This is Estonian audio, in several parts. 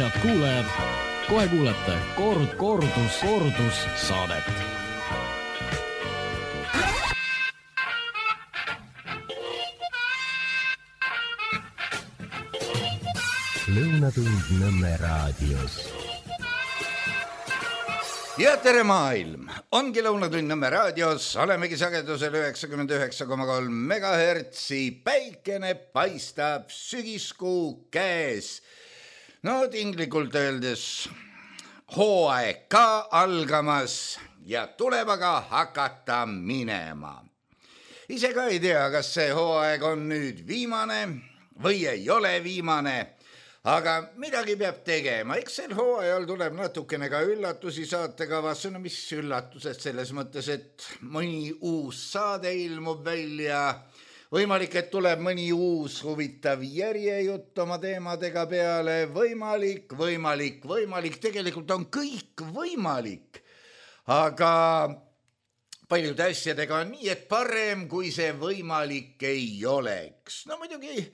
Head kuulajad, kohe kuulete kordus saadet. Lõunatund Nõmme raadios. Ja tere maailm! Ongi Lõunatund Nõmme raadios, olemegi sagedusel 99,3 megahertsi, päikene paistab, sügiskuu käes. No tinglikult öeldes hooaeg ka algamas ja tuleb aga hakata minema. Ise ka ei tea, kas see hooaeg on nüüd viimane või ei ole viimane, aga midagi peab tegema. Eks sel hooajal tuleb natukene ka üllatusi saatekavasse. No mis üllatused selles mõttes, et mõni uus saade ilmub välja. Võimalik, et tuleb mõni uus huvitav järjejutt oma teemadega peale. Võimalik. Tegelikult on kõik võimalik. Aga paljude asjadega on nii, et parem, kui see võimalik ei oleks. No muidugi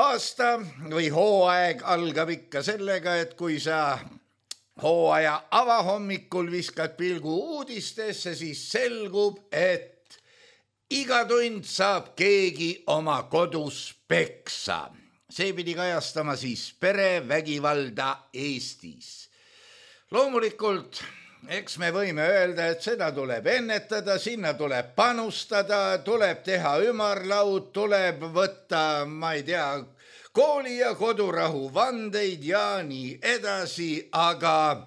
aasta või hooaeg algab ikka sellega, et kui sa hooaja avahommikul viskad pilgu uudistesse, siis selgub, et iga tund saab keegi oma kodus peksa. See pidi kajastama siis perevägivalda Eestis. Loomulikult, eks me võime öelda, et seda tuleb ennetada, sinna tuleb panustada, tuleb teha ümarlaud, tuleb võtta, ma ei tea, kooli ja kodurahu vandeid ja nii edasi, aga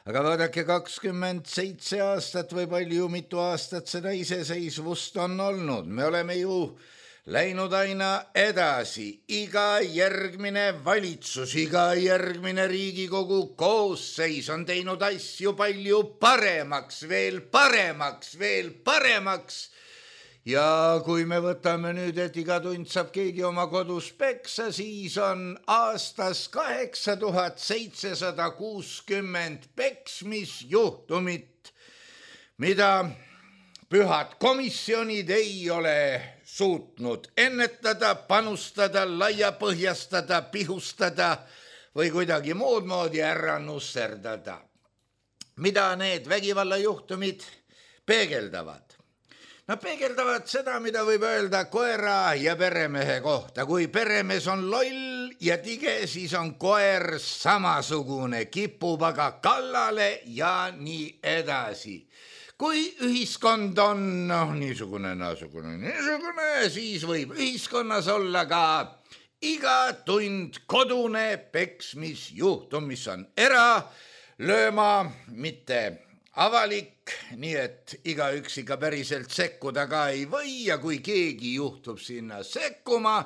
vaadake 27 aastat või palju mitu aastat seda iseseisvust on olnud. Me oleme ju läinud aina edasi. Iga järgmine valitsus, iga järgmine Riigikogu koosseis on teinud asju palju paremaks, veel paremaks. Ja kui me võtame nüüd, et iga tund saab keegi oma kodus peksa, siis on aastas 8760 peksmisjuhtumit, mida pühad komisjonid ei ole suutnud ennetada, panustada, laiapõhjastada, pihustada või kuidagi muud moodi ära nusserdada. Mida need vägivallajuhtumid peegeldavad? No peegeldavad seda, mida võib öelda koera ja peremehe kohta. Kui peremees on loll ja tige, siis on koer samasugune, kipub aga kallale ja nii edasi. Kui ühiskond on niisugune, siis võib ühiskonnas olla ka iga tund kodune peksmisjuhtum, mis on eralööma, mitte avalik, nii et igaüks ikka päriselt sekkuda ka ei või ja kui keegi juhtub sinna sekkuma,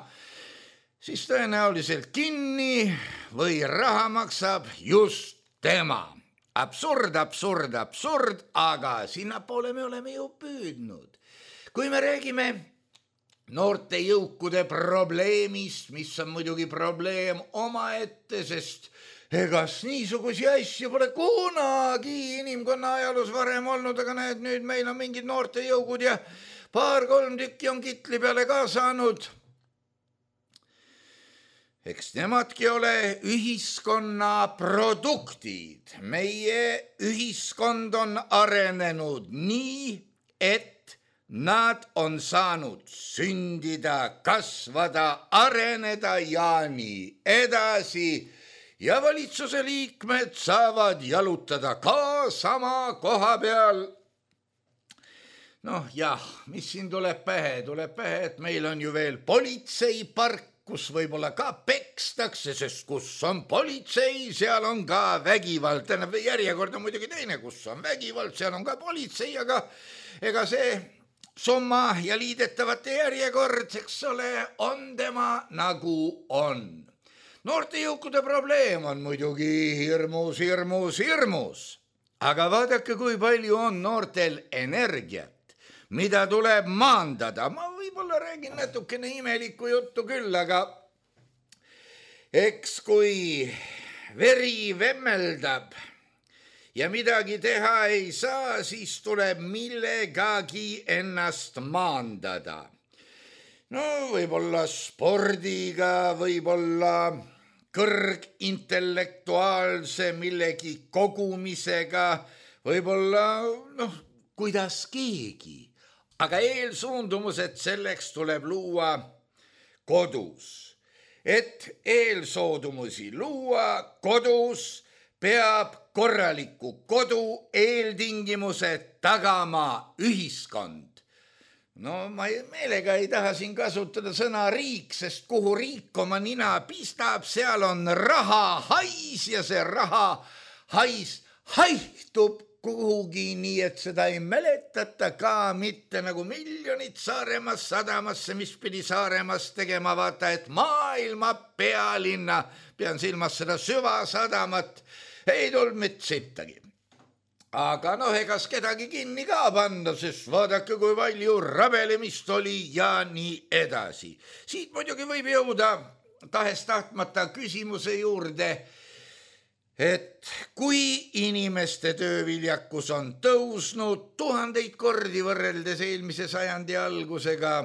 siis tõenäoliselt kinni või raha maksab just tema. Absurd, aga sinnapoole me oleme ju püüdnud. Kui me räägime noorte jõukude probleemist, mis on muidugi probleem omaette, sest egas niisugusi asju pole kunagi inimkonna ajaloos varem olnud, aga näed, nüüd meil on mingid noorte jõugud ja 2-3 tükki on kitli peale ka saanud. Eks nemadki ole ühiskonna produktid. Meie ühiskond on arenenud nii, et nad on saanud sündida, kasvada, areneda ja nii edasi. Ja valitsuse liikmed saavad jalutada ka sama koha peal. Noh jah, mis siin tuleb pähe? Tuleb pähe, et meil on ju veel politseipark, kus võib-olla ka pekstakse, sest kus on politsei, seal on ka vägivald. Järjekord on muidugi teine, kus on vägivald, seal on ka politsei, aga ega see summa ja liidetavate järjekord, eks ole, on tema nagu on. Noorte jõukude probleem on muidugi hirmus. Aga vaadake, kui palju on noortel energiat, mida tuleb maandada. Ma võib-olla räägin natukene imelikku juttu küll, aga eks kui veri vemmeldab ja midagi teha ei saa, siis tuleb millegagi ennast maandada. No võib-olla spordiga, võib-olla kõrgintellektuaalse millegi kogumisega, võib-olla kuidas keegi, aga eelsuundumused selleks tuleb luua kodus. Et eelsoodumusi luua kodus, peab korraliku kodu eeltingimused tagama ühiskond. No ma meelega ei taha siin kasutada sõna riik, sest kuhu riik oma nina pistab, seal on raha hais ja see raha hais haihtub kuhugi, nii et seda ei mäletata ka mitte nagu miljonid Saaremaast sadamasse, mis pidi Saaremaast tegema, vaata, et maailma pealinna, pean silmas seda süvasadamat, ei tulnud mitte sittagi. Aga egas kedagi kinni ka panna, sest vaadake, kui palju rabelemist oli ja nii edasi. Siit muidugi võib jõuda tahes-tahtmata küsimuse juurde, et kui inimeste tööviljakus on tõusnud 1000 kordi võrreldes eelmise sajandi algusega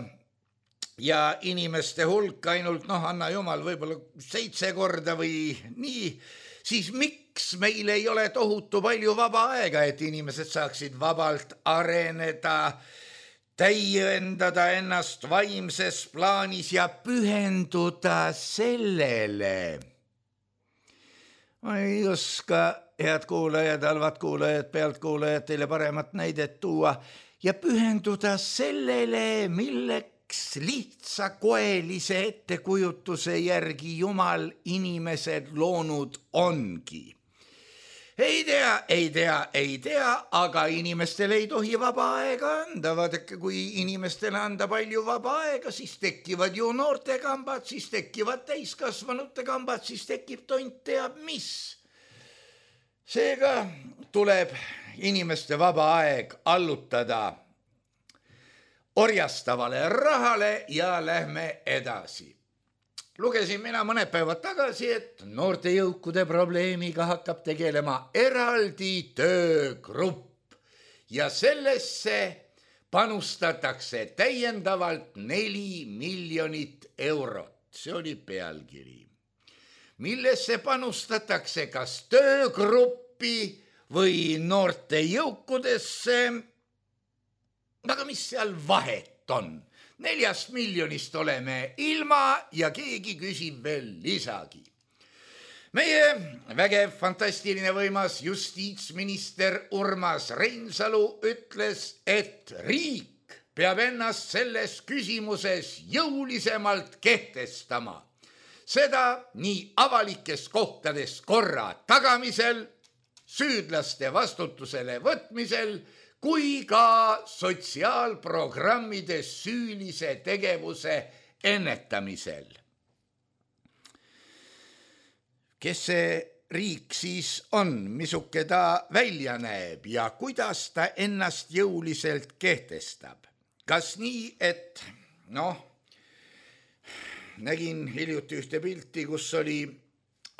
ja inimeste hulk ainult, anna jumal, võib-olla 7 korda või nii, siis miks meil ei ole tohutu palju vaba aega, et inimesed saaksid vabalt areneda, täiendada ennast vaimses plaanis ja pühenduda sellele? Ma ei oska, head kuulajad, halvad kuulajad, pealtkuulajad, teile paremat näidet tuua ja pühenduda sellele, milleks lihtsakoelise ettekujutuse järgi Jumal inimesed loonud ongi. Ei tea, aga inimestele ei tohi vaba aega anda. Vaadake, kui inimestele anda palju vaba aega, siis tekivad ju noortekambad, siis tekivad täiskasvanute kambad, siis tekib tont teab mis. Seega tuleb inimeste vaba aeg allutada orjastavale rahale ja lähme edasi. Lugesin mina mõned päevad tagasi, et noorte jõukude probleemiga hakkab tegelema eraldi töögrupp ja sellesse panustatakse täiendavalt 4 miljonit eurot. See oli pealkiri. Millesse panustatakse, kas töögruppi või noorte jõukudesse? Aga mis seal vahet on? 4 miljonist oleme ilma ja keegi küsib veel lisagi. Meie vägev, fantastiline, võimas justiitsminister Urmas Reinsalu ütles, et riik peab ennast selles küsimuses jõulisemalt kehtestama. Seda nii avalikes kohtades korra tagamisel, süüdlaste vastutusele võtmisel, kui ka sotsiaalprogrammide süülise tegevuse ennetamisel. Kes see riik siis on, misuke ta välja näeb ja kuidas ta ennast jõuliselt kehtestab? Kas nii, et nägin hiljuti ühte pilti, kus oli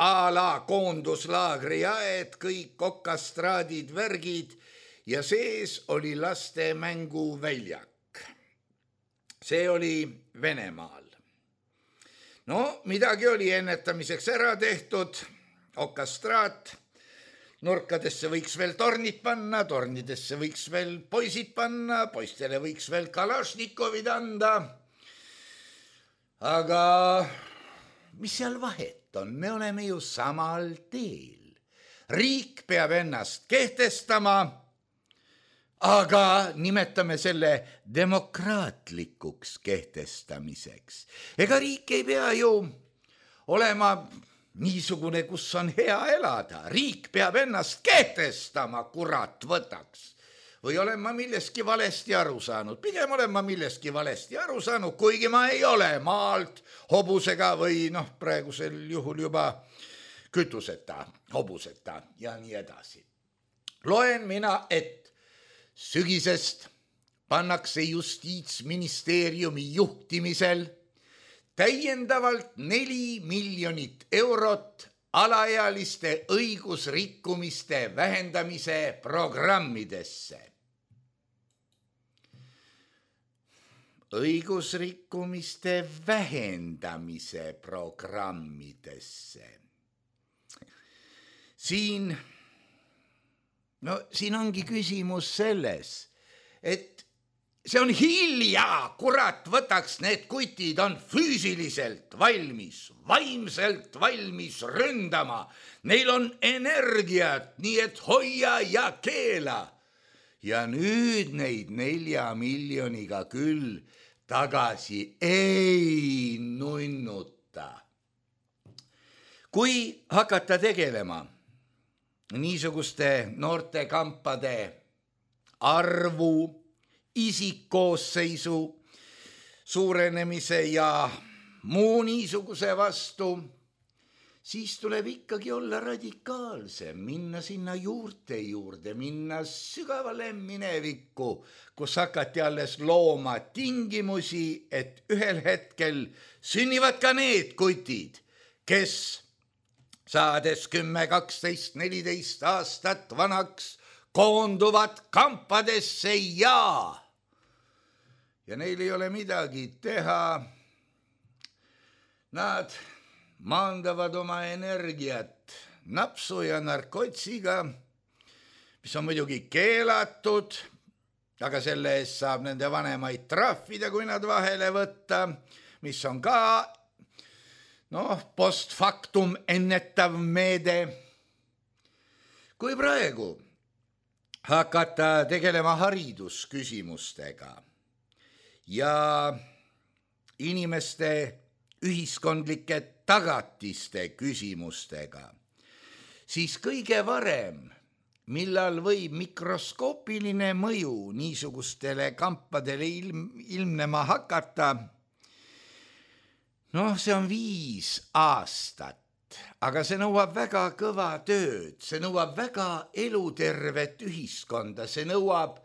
a la koonduslaagri aed, kõik okastraadid, värgid, ja sees oli laste mänguväljak. See oli Venemaal. Midagi oli ennetamiseks ära tehtud, okastraat, nurkadesse võiks veel tornid panna, tornidesse võiks veel poisid panna, poistele võiks veel kalašnikovid anda. Aga mis seal vahet on? Me oleme ju samal teel. Riik peab ennast kehtestama, aga nimetame selle demokraatlikuks kehtestamiseks. Ega riik ei pea ju olema niisugune, kus on hea elada. Riik peab ennast kehtestama, kurat võtaks. Või olen ma milleski valesti aru saanud? Pigem olen ma milleski valesti aru saanud, kuigi ma ei ole maalt hobusega või praegusel juhul juba kütuseta, hobuseta ja nii edasi. Loen mina, et sügisest pannakse justiitsministeeriumi juhtimisel täiendavalt 4 miljonit eurot alaealiste õigusrikkumiste vähendamise programmidesse. õigusrikkumiste vähendamise programmidesse. Siin ongi küsimus selles, et see on hilja, kurat, võtaks need kutid on füüsiliselt valmis, vaimselt valmis ründama. Neil on energiat, nii et hoia ja keela. Ja nüüd neid 4 miljoniga küll tagasi ei nunnuta. Kui hakata tegelema niisuguste noortekampade arvu, isikkoosseisu suurenemise ja muu niisuguse vastu, siis tuleb ikkagi olla radikaalsem, minna sinna juurte juurde, minna sügavale minevikku, kus hakati alles looma tingimusi, et ühel hetkel sünnivad ka need kutid, kes saades 10, 12, 14 aastat vanaks koonduvad kampadesse ja neil ei ole midagi teha. Nad maandavad oma energiat napsu ja narkotsiga, mis on muidugi keelatud, aga selle eest saab nende vanemaid trahvida, kui nad vahele võtta, mis on ka post factum ennetav meede. Kui praegu hakata tegelema haridusküsimustega ja inimeste ühiskondlike tagatiste küsimustega, siis kõige varem, millal võib mikroskoopiline mõju niisugustele kampadele ilmnema hakata, see on 5 aastat. Aga see nõuab väga kõva tööd, see nõuab väga elutervet ühiskonda, see nõuab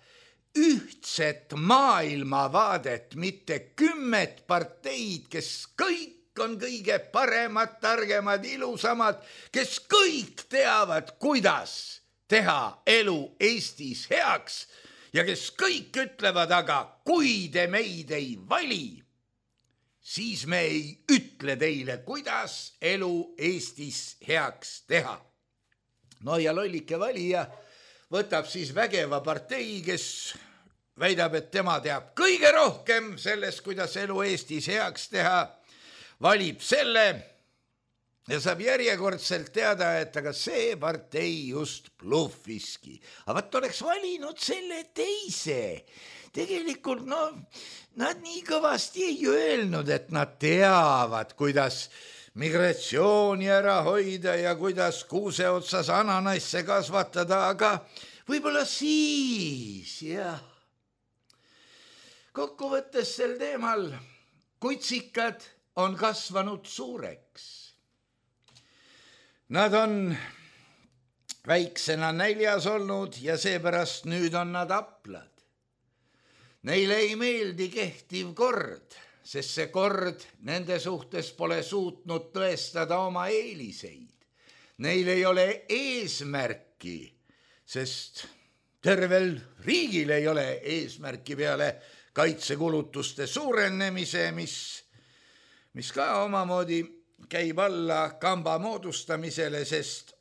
ühtset maailmavaadet, mitte 10 parteid, kes kõik on kõige paremad, targemad, ilusamad, kes kõik teavad, kuidas teha elu Eestis heaks ja kes kõik ütlevad, aga kui te meid ei vali, siis me ei ütle teile, kuidas elu Eestis heaks teha. Ja lollike valija võtab siis vägeva partei, kes väidab, et tema teab kõige rohkem sellest, kuidas elu Eestis heaks teha, valib selle ja saab järjekordselt teada, et aga see partei just bluffiski. Aga vaat oleks valinud selle teise. Tegelikult nad nii kõvasti ei öelnud, et nad teavad, kuidas migratsiooni ära hoida ja kuidas kuuse otsas ananasse kasvatada, aga võib-olla siis, jah. Kokkuvõttes sel teemal kutsikad on kasvanud suureks. Nad on väiksena näljas olnud ja seepärast nüüd on nad aplad. Neile ei meeldi kehtiv kord, sest see kord nende suhtes pole suutnud tõestada oma eeliseid. Neil ei ole eesmärki, sest tervel riigil ei ole eesmärki peale kaitsekulutuste suurenemise, mis ka omamoodi käib alla kamba moodustamisele, sest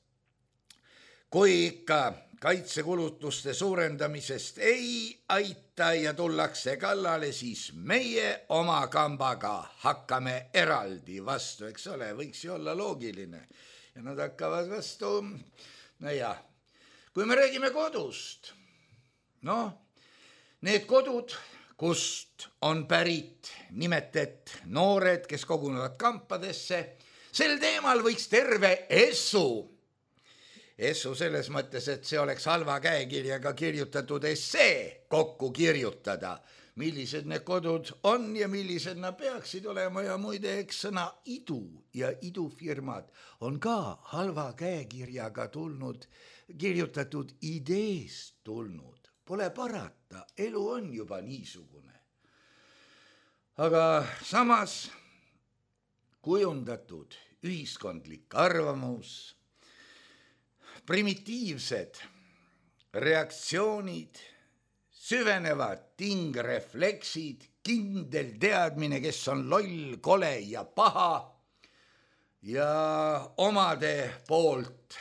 kui ikka kaitsekulutuste suurendamisest ei aita ja tullakse kallale, siis meie oma kambaga hakkame eraldi vastu, eks ole, võiks ju olla loogiline. Ja nad hakkavad vastu, kui me räägime kodust, need kodud, kust on pärit nimetet noored, kes kogunevad kampadesse, sel teemal võiks terve Essu selles mõttes, et see oleks halva käekirjaga kirjutatud essee kokku kirjutada, millised need kodud on ja millised nad peaksid olema ja muide, eks sõna idu ja idufirmad on ka halva käekirjaga kirjutatud ideest tulnud. Pole parata, elu on juba niisugune. Aga samas kujundatud ühiskondlik arvamus, primitiivsed reaktsioonid, süvenevad tingrefleksid, kindel teadmine, kes on loll, kole ja paha ja omade poolt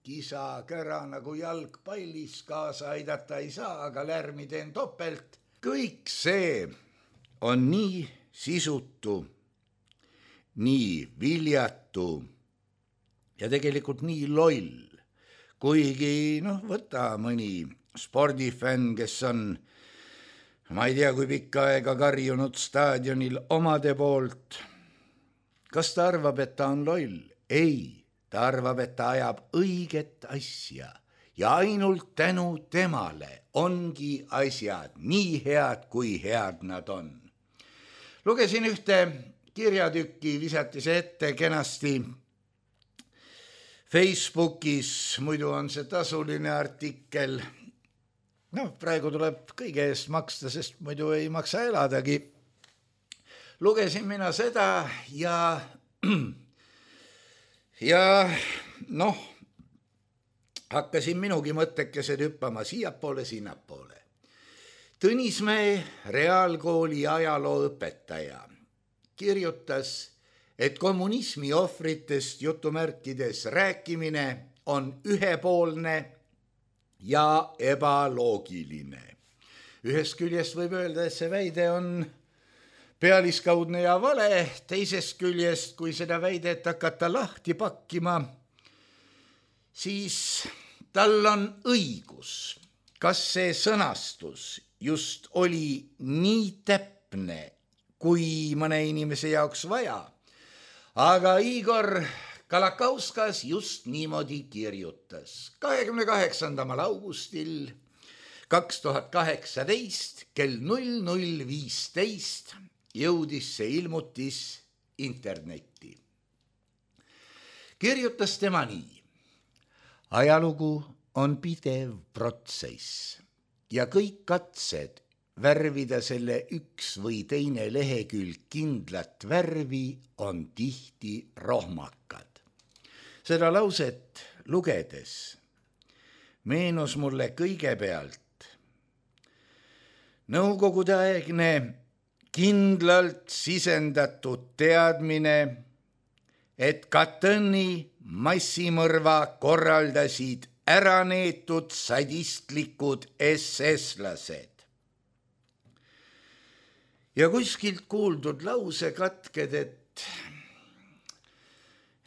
kisa kära nagu jalgpallis, kaasa aidata ei saa, aga lärmi teen topelt. Kõik see on nii sisutu, nii viljatu ja tegelikult nii loll, kuigi võta mõni spordifänn, kes on, ma ei tea, kui pikka aega karjunud staadionil omade poolt. Kas ta arvab, et ta on loll? Ei, ta arvab, et ta ajab õiget asja ja ainult tänu temale ongi asjad nii head, kui head nad on. Lugesin ühte kirjatükki, visati see ette kenasti Facebookis, muidu on see tasuline artikkel. Praegu tuleb kõige eest maksta, sest muidu ei maksa eladagi. Lugesin mina seda ja hakkasin minugi mõttekesed hüppama siiapoole, sinnapoole. Tõnismäe reaalkooli ajalooõpetaja kirjutas, et kommunismi ohvritest jutumärkides rääkimine on ühepoolne ja ebaloogiline. Ühest küljest võib öelda, et see väide on pealiskaudne ja vale, teisest küljest, kui seda väidet hakata lahti pakkima, siis tal on õigus. Kas see sõnastus just oli nii täpne, kui mõne inimese jaoks vaja? Aga Igor Kalakauskas just niimoodi kirjutas. 28. augustil 2018 kell 00.15 jõudis see ilmutis internetti. Kirjutas tema nii. Ajalugu on pidev protsess ja kõik katsed värvida selle üks või teine lehekülg kindlat värvi on tihti rohmakad. Seda lauset lugedes meenus mulle kõigepealt nõukogudeaegne kindlalt sisendatud teadmine, et Katõni massimõrva korraldasid äraneetud sadistlikud SS-lased. Ja kuskilt kuuldud lausekatked,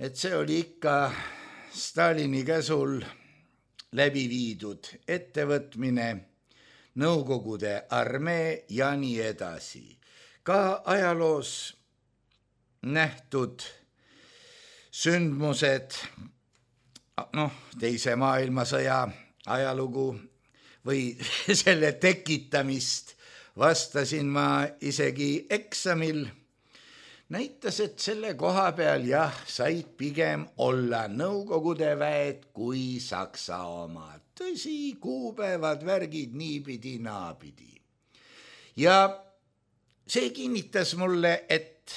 et see oli ikka Stalini käsul läbi viidud ettevõtmine, Nõukogude armee ja nii edasi. Ka ajaloos nähtud sündmused, teise maailmasõja ajalugu või selle tekitamist vastasin ma isegi eksamil, näitas, et selle koha peal said pigem olla Nõukogude väed kui Saksa omad. Tõsi, kuupäevad, värgid niipidi, naapidi. Ja see kinnitas mulle, et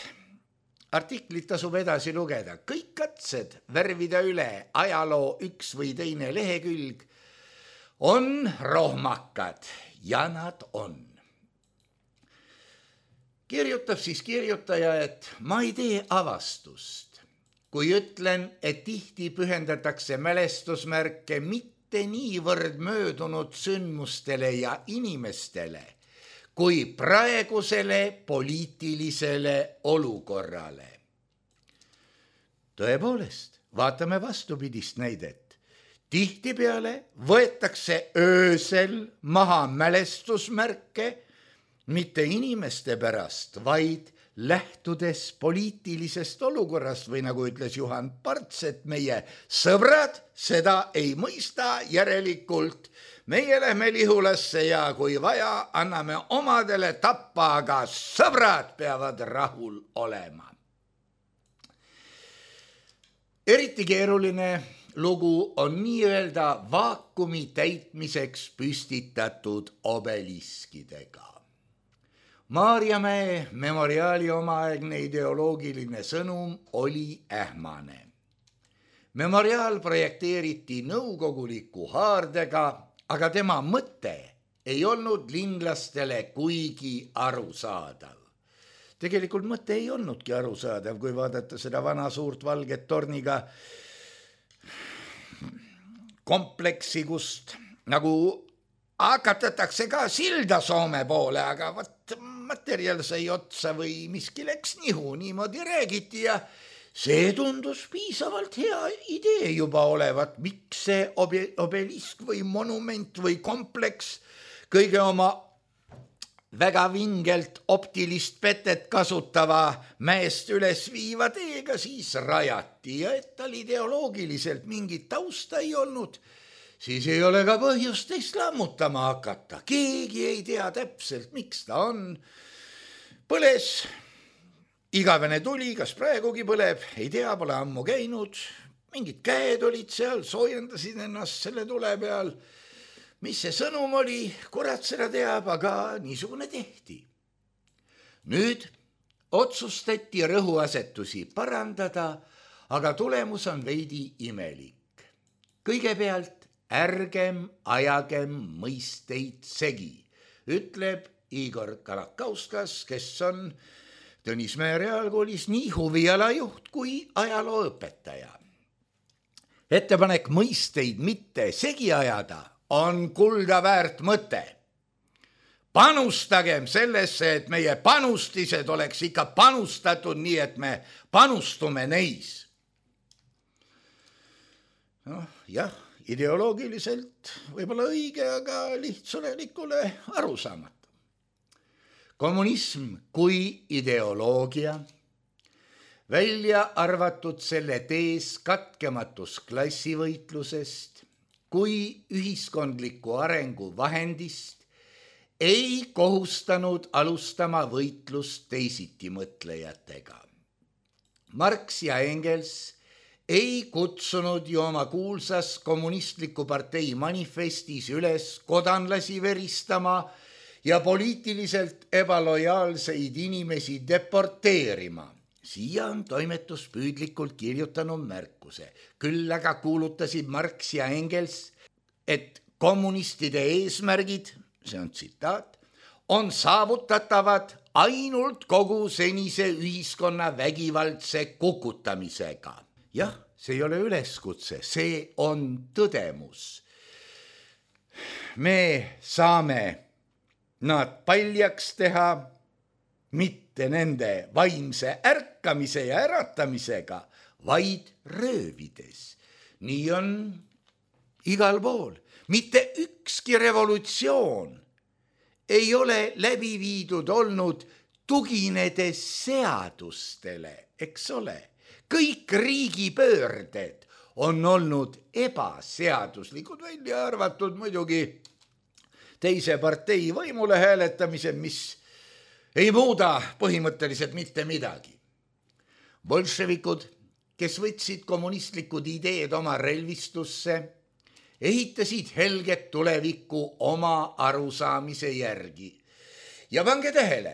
artiklit tasub edasi lugeda. Kõik katsed värvida üle ajaloo üks või teine lehekülg on rohmakad ja nad on. Kirjutab siis kirjutaja, et ma ei tee avastust, kui ütlen, et tihti pühendatakse mälestusmärke mitte niivõrd möödunud sündmustele ja inimestele, kui praegusele poliitilisele olukorrale. Tõepoolest, vaatame vastupidist näidet. Tihtipeale võetakse öösel maha mälestusmärke, mitte inimeste pärast, vaid lähtudes poliitilisest olukorrast või nagu ütles Juhan Parts, et meie sõbrad seda ei mõista, järelikult meie lähme Lihulasse ja kui vaja, anname omadele tappa, aga sõbrad peavad rahul olema. Eriti keeruline lugu on nii-öelda vaakumi täitmiseks püstitatud obeliskidega. Maarjamäe memoriaali omaaegne ideoloogiline sõnum oli ähmane. Memoriaal projekteeriti nõukoguliku haardega, aga tema mõte ei olnud linlastele kuigi arusaadav. Tegelikult mõte ei olnudki arusaadav, kui vaadata seda vana suurt valget torniga kompleksi, kust nagu hakatatakse ka silda Soome poole, aga materjal sai otsa või miski läks nihu, niimoodi räägiti ja see tundus piisavalt hea idee juba olevat, miks see obelisk või monument või kompleks kõige oma väga vingelt optilist petet kasutava mäest üles viiva teega siis rajati ja et tal ideoloogiliselt mingit tausta ei olnud, siis ei ole ka põhjust teist lammutama hakata. Keegi ei tea täpselt, miks ta on. Põles, igavene tuli, kas praegugi põleb, ei tea, pole ammu käinud. Mingid käed olid seal, soojendasid ennast selle tule peal. Mis see sõnum oli, kurat seda teab, aga niisugune tehti. Nüüd otsustati rõhuasetusi parandada, aga tulemus on veidi imelik. Kõigepealt ärgem ajagem mõisteid segi, ütleb Igor Kalakauskas, kes on Tõnismäe reaalkoolis nii huvialajuht kui ajalooõpetaja. Ettepanek mõisteid mitte segi ajada on kulda väärt mõte. Panustagem sellesse, et meie panustised oleks ikka panustatud nii, et me panustume neis. Jah, ideoloogiliselt võib-olla õige, aga lihtsulelikule arusaamatu. Kommunism kui ideoloogia, välja arvatud selle tees katkematus klassivõitlusest kui ühiskondliku arengu vahendist, ei kohustanud alustama võitlust teisitimõtlejatega. Marx ja Engels ei kutsunud ju oma kuulsas kommunistliku partei manifestis üles kodanlasi veristama ja poliitiliselt ebalojaalseid inimesi deporteerima. Siia on toimetus püüdlikult kirjutanud märkuse. Küll aga kuulutasid Marx ja Engels, et kommunistide eesmärgid, see on tsitaat, on saavutatavad ainult kogu senise ühiskonna vägivaldse kukutamisega. Jah, see ei ole üleskutse, see on tõdemus. Me saame nad paljaks teha mitte nende vaimse ärkamise ja äratamisega, vaid röövides. Nii on igal pool. Mitte ükski revolutsioon ei ole läbi viidud olnud tuginedes seadustele, eks ole. Kõik riigipöörded on olnud ebaseaduslikud, välja arvatud muidugi teise partei võimule hääletamise, mis ei muuda põhimõtteliselt mitte midagi. Bolševikud, kes võtsid kommunistlikud ideed oma relvistusse, ehitasid helget tulevikku oma arusaamise järgi. Ja pange tähele,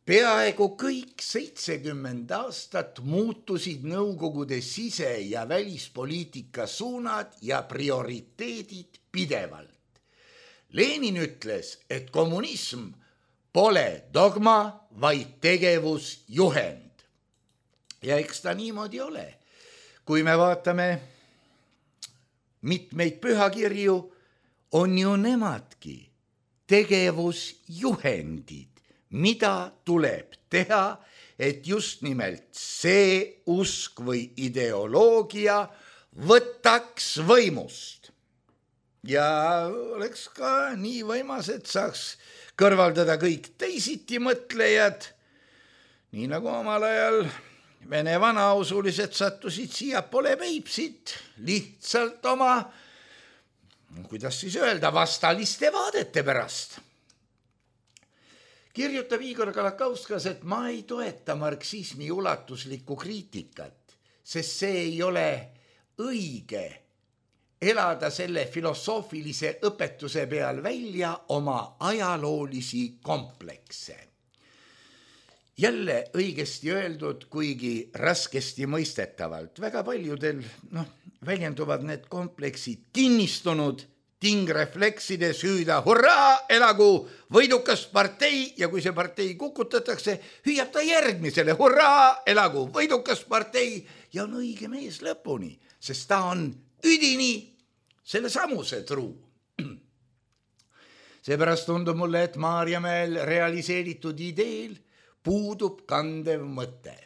peaaegu kõik 70 aastat muutusid Nõukogude sise- ja välispoliitika suunad ja prioriteedid pidevalt. Lenin ütles, et kommunism pole dogma, vaid tegevusjuhend. Ja eks ta niimoodi ole. Kui me vaatame mitmeid pühakirju, on ju nemadki tegevusjuhendid, mida tuleb teha, et just nimelt see usk või ideoloogia võtaks võimust. Ja oleks ka nii võimas, et saaks kõrvaldada kõik teisiti mõtlejad, nii nagu omal ajal Vene vanausulised sattusid siiapoole Peipsit lihtsalt oma, kuidas siis öelda, vastaliste vaadete pärast. Kirjutab Igor Kalakauskas, et ma ei toeta marksismi ulatuslikku kriitikat, sest see ei ole õige elada selle filosoofilise õpetuse peal välja oma ajaloolisi komplekse. Jälle õigesti öeldud, kuigi raskesti mõistetavalt. Väga paljudel väljenduvad need kompleksid kinnistunud tingrefleksides hüüda hurraa, elagu võidukas partei ja kui see partei kukutatakse, hüüab ta järgmisele hurraa, elagu võidukas partei ja on õige mees lõpuni, sest ta on üdini selle samuse truu. Seepärast tundub mulle, et Maarjamäel realiseeritud ideel puudub kandev mõte.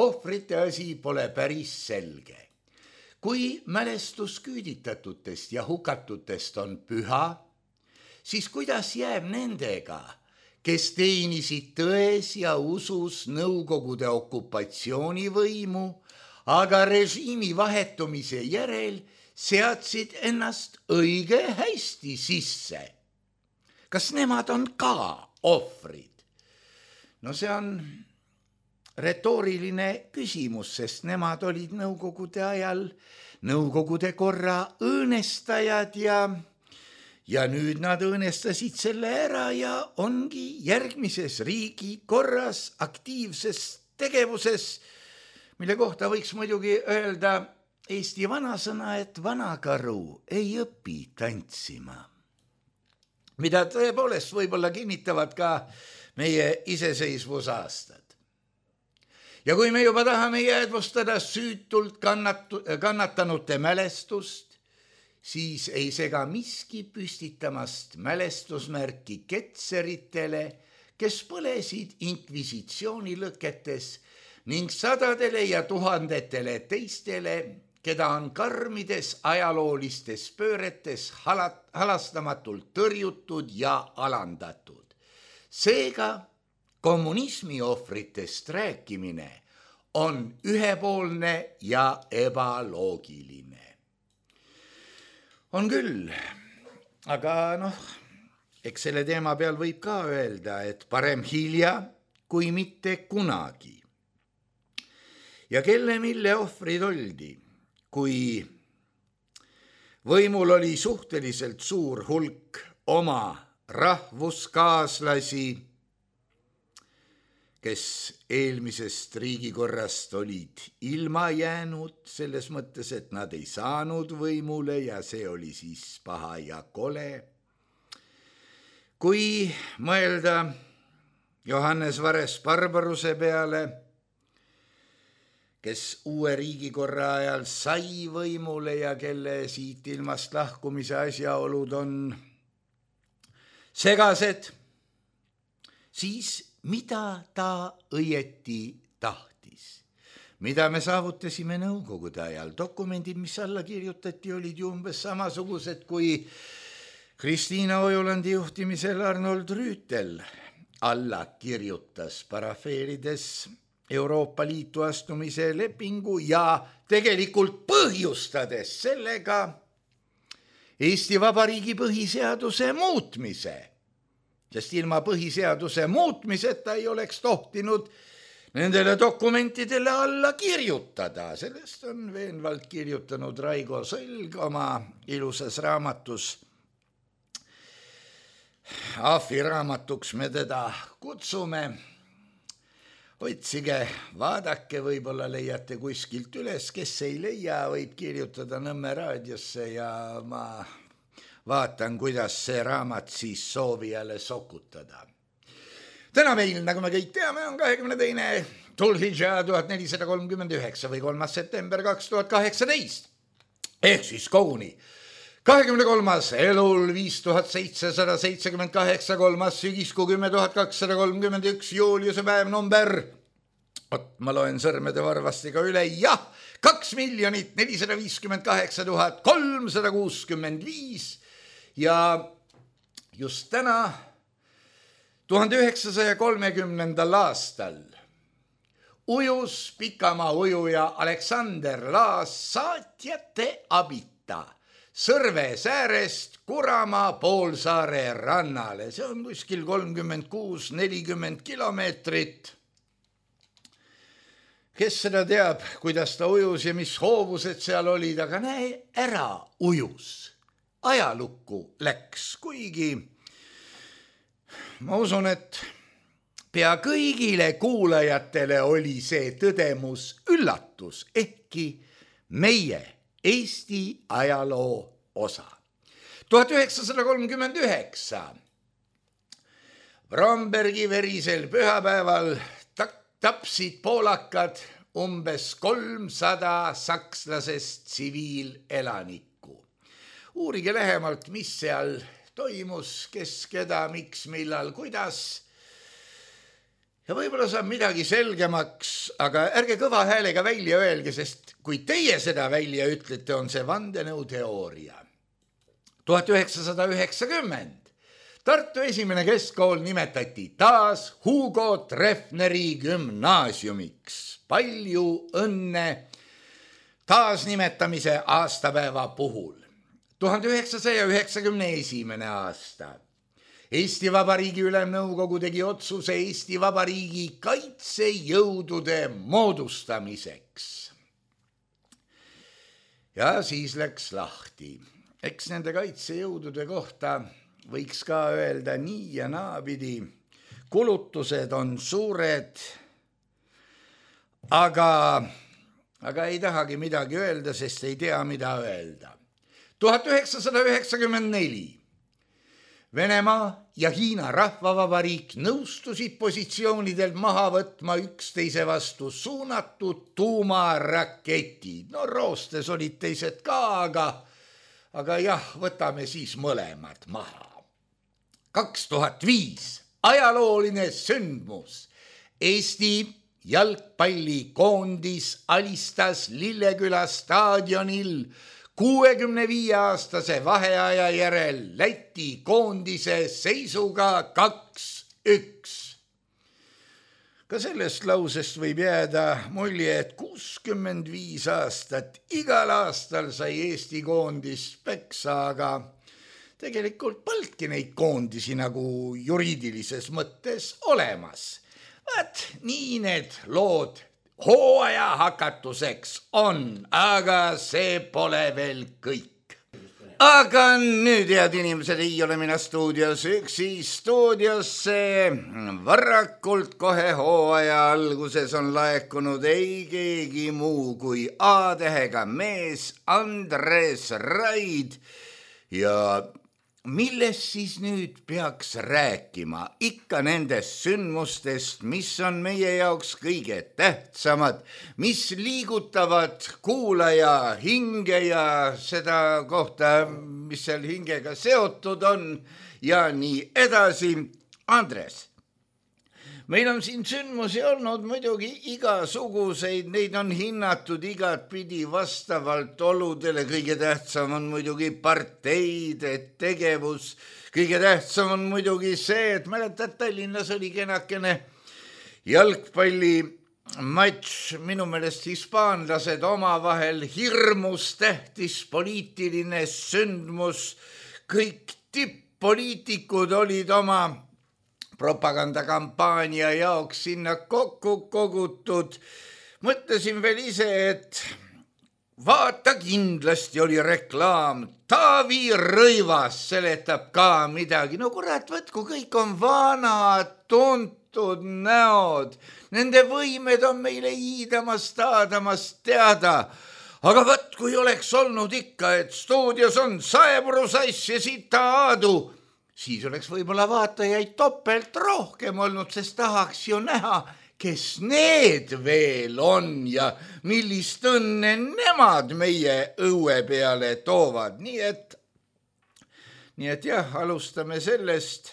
Ohvrite asi pole päris selge. Kui mälestus küüditatutest ja hukatutest on püha, siis kuidas jääb nendega, kes teenisid tões ja usus Nõukogude okupatsioonivõimu, aga režiimi vahetumise järel seadsid ennast õige hästi sisse? Kas nemad on ka ohvrid? No see on retooriline küsimus, sest nemad olid Nõukogude ajal Nõukogude korra õõnestajad ja nüüd nad õõnestasid selle ära ja ongi järgmises riigi korras aktiivses tegevuses, mille kohta võiks muidugi öelda Eesti vanasõna, et vanakaru ei õpi tantsima. Mida tõepoolest võib-olla kinnitavad ka meie iseseisvusaastad. Ja kui me juba tahame jäädvustada süütult kannatanute mälestust, siis ei sega miski püstitamast mälestusmärki ketseritele, kes põlesid inkvisitsioonilõketes ning sadadele ja tuhandetele teistele, keda on karmides ajaloolistes pööretes halastamatult tõrjutud ja alandatud. Seega kommunismi ohvritest rääkimine on ühepoolne ja ebaloogiline. On küll, aga eks selle teema peal võib ka öelda, et parem hilja kui mitte kunagi. Ja kelle mille ohvrid oldi, kui võimul oli suhteliselt suur hulk oma rahvuskaaslasi, kes eelmisest riigikorrast olid ilma jäänud selles mõttes, et nad ei saanud võimule ja see oli siis paha ja kole. Kui mõelda Johannes Vares-Barbaruse peale, kes uue riigikorra ajal sai võimule ja kelle siit ilmast lahkumise asjaolud on segased, siis mida ta õieti tahtis? Mida me saavutasime Nõukogude ajal? Dokumendid, mis alla kirjutati, olid ju umbes samasugused, kui Kristiina Ojulandi juhtimisel Arnold Rüütel alla kirjutas, parafeerides Euroopa Liitu astumise lepingu ja tegelikult põhjustades sellega Eesti Vabariigi põhiseaduse muutmise. Sest ilma põhiseaduse muutmiseta ei oleks tohtinud nendele dokumentidele alla kirjutada. Sellest on veenvalt kirjutanud Raigo Sõlg oma ilusas raamatus. Ahvi raamatuks me teda kutsume. Otsige, vaadake, võib-olla leiate kuskilt üles, kes ei leia, võib kirjutada Nõmme raadiosse ja ma vaatan, kuidas see raamat siis soovijale sokutada. Täna meil, nagu me kõik teame, on 22. Dhul-Hidža 1439 või 3. september 2018. Ehk siis koguni 23. elul 5778, 3. sügiskuu 10.231, Juliuse päev number, ma loen sõrmede varvastiga üle, jah, 2,458,365 ja just täna 1930. aastal ujus pikamaa ujuja Aleksander Laas saatjate abita Sõrves äärest Kuramaa poolsaare rannale. See on kuskil 36-40 kilomeetrit. Kes seda teab, kuidas ta ujus ja mis hoovused seal olid, aga näe, ära ujus. Ajalukku läks, kuigi ma usun, et pea kõigile kuulajatele oli see tõdemus üllatus, ehkki meie Eesti ajaloo osa. 1939 Brombergi verisel pühapäeval tapsid poolakad umbes 300 sakslasest tsiviilelanikku. Uurige lähemalt, mis seal toimus, kes, keda, miks, millal, kuidas. Ja võib-olla saab midagi selgemaks, aga ärge kõva häälega välja öelge, sest kui teie seda välja ütlete, on see vandenõuteooria. 1990 Tartu esimene keskkool nimetati taas Hugo Treffneri gümnaasiumiks. Palju õnne taasnimetamise aastapäeva puhul. 1991. aasta. Eesti Vabariigi Ülemnõukogu tegi otsuse Eesti Vabariigi kaitsejõudude moodustamiseks. Ja siis läks lahti. Eks nende kaitsejõudude kohta võiks ka öelda nii ja naapidi. Kulutused on suured, aga ei tahagi midagi öelda, sest ei tea, mida öelda. 1994 Venemaa ja Hiina Rahvavabariik nõustusid positsioonidelt maha võtma üksteise vastu suunatud tuumaraketid. No roostes olid teised ka, aga jah, võtame siis mõlemad maha. 2005 ajalooline sündmus. Eesti jalgpallikoondis alistas Lilleküla staadionil 65-aastase vaheaja järel Läti koondise seisuga 2-1. Ka sellest lausest võib jääda mulje, et 65 aastat igal aastal sai Eesti koondis peksa, aga tegelikult polnudki neid koondisi nagu juriidilises mõttes olemas. Vaat nii need lood hooaja hakatuseks on, aga see pole veel kõik. Aga nüüd, head inimesed, ei ole mina stuudios üksi. Stuudiosse varakult kohe hooaja alguses on laekunud ei keegi muu kui A-tähega mees Andres Raid. Ja millest siis nüüd peaks rääkima? Ikka nendest sündmustest, mis on meie jaoks kõige tähtsamad, mis liigutavad kuulaja hinge ja seda kohta, mis seal hingega seotud on ja nii edasi. Andres, meil on siin sündmusi olnud muidugi igasuguseid, neid on hinnatud igat pidi vastavalt oludele. Kõige tähtsam on muidugi parteide tegevus. Kõige tähtsam on muidugi see, et mäletad, Tallinnas oli kenakene jalgpallimatš, minu meelest hispaanlased omavahel, hirmus tähtis poliitiline sündmus. Kõik tipp-poliitikud olid oma propagandakampaania jaoks sinna kokku kogutud. Mõtlesin veel ise, et vaata, kindlasti oli reklaam. Taavi Rõivas seletab ka midagi. No kurat, võtku, kõik on vanad, tuntud näod. Nende võimed on meile iidamast, aadamast teada. Aga võt, kui oleks olnud ikka, et stuudios on Saepuru-Sass ja Sita Aadu, siis oleks võib-olla vaatajaid topelt rohkem olnud, sest tahaks ju näha, kes need veel on ja millist õnne nemad meie õue peale toovad. Nii et jah, alustame sellest,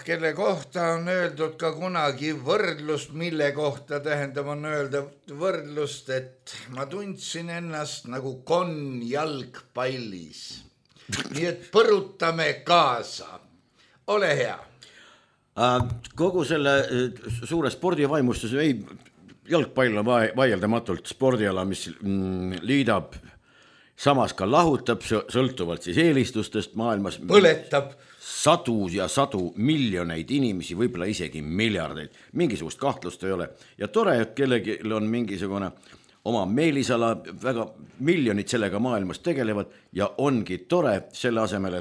kelle kohta on öeldud ka kunagi võrdlust, mille kohta on öelda võrdlust, et ma tundsin ennast nagu konn jalgpallis. Nii et põrutame kaasa. Ole hea. Kogu selle suure spordivaimustuse, jalgpall on vaieldamatult spordiala, mis liidab, samas ka lahutab, sõltuvalt siis eelistustest maailmas. Põletab. Sadu ja sadu miljoneid inimesi, võib-olla isegi miljardeid. Mingisugust kahtlust ei ole. Ja tore, et kellelgi on mingisugune oma meelisala, väga miljonid sellega maailmas tegelevad ja ongi tore selle asemel,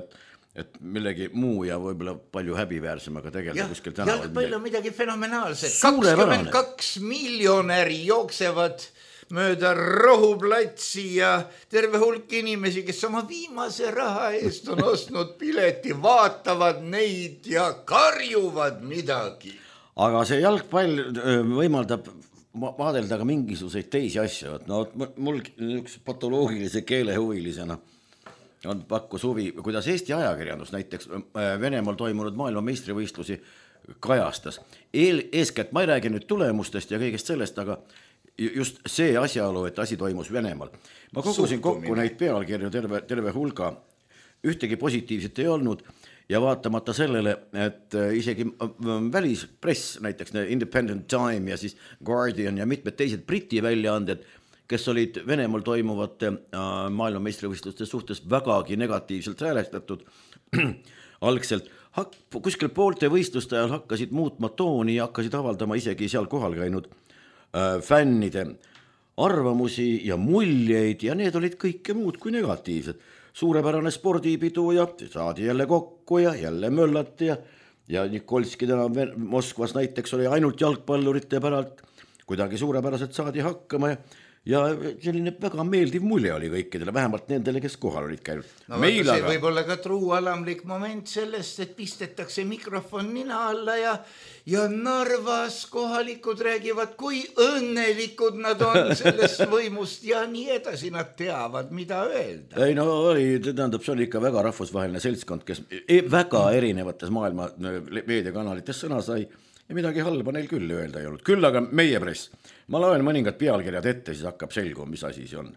et millegi muu ja võib-olla palju häbiväärsemaga tegeleda kuskil tänaval. Jalgpall on midagi fenomenaalset. 22 miljonäri jooksevad mööda Rohuplatsi ja terve hulk inimesi, kes oma viimase raha eest on ostnud pileti, vaatavad neid ja karjuvad midagi. Aga see jalgpall võimaldab vaadelda ka mingisuguseid teisi asju. No mul üks patoloogilise keelehuvilisena on pakkus huvi, kuidas Eesti ajakirjandus näiteks Venemaal toimunud maailmameistrivõistlusi kajastas. Eeskätt ma ei räägi nüüd tulemustest ja kõigest sellest, aga just see asjaolu, et asi toimus Venemaal. Ma kogusin kokku neid pealkirju terve hulga, ühtegi positiivset ei olnud ja vaatamata sellele, et isegi välispress, näiteks Independent Time ja siis Guardian ja mitmed teised Briti väljaanded, kes olid Venemaal toimuvate maailmameistrivõistluste suhtes vägagi negatiivselt häälestatud algselt, kuskil poolte võistluste ajal hakkasid muutma tooni ja hakkasid avaldama isegi seal kohal käinud fännide arvamusi ja muljeid ja need olid kõike muud kui negatiivsed. Suurepärane spordipidu ja saadi jälle kokku ja jälle möllati ja Nikolski täna Moskvas näiteks oli ainult jalgpallurite päralt, kuidagi suurepäraselt saadi hakkama ja selline väga meeldiv mulje oli kõikidele, vähemalt nendele, kes kohal olid käinud. No see aga võib olla ka truualamlik moment sellest, et pistetakse mikrofon nina alla ja Narvas kohalikud räägivad, kui õnnelikud nad on sellest võimust ja nii edasi, nad teavad, mida öelda. Ei no tähendab, see oli ikka väga rahvusvaheline seltskond, kes väga erinevates maailma meediakanalites sõna sai ja midagi halba neil küll öelda ei olnud. Küll aga meie press. Ma loen mõningad pealkirjad ette, siis hakkab selguma, mis asi see on.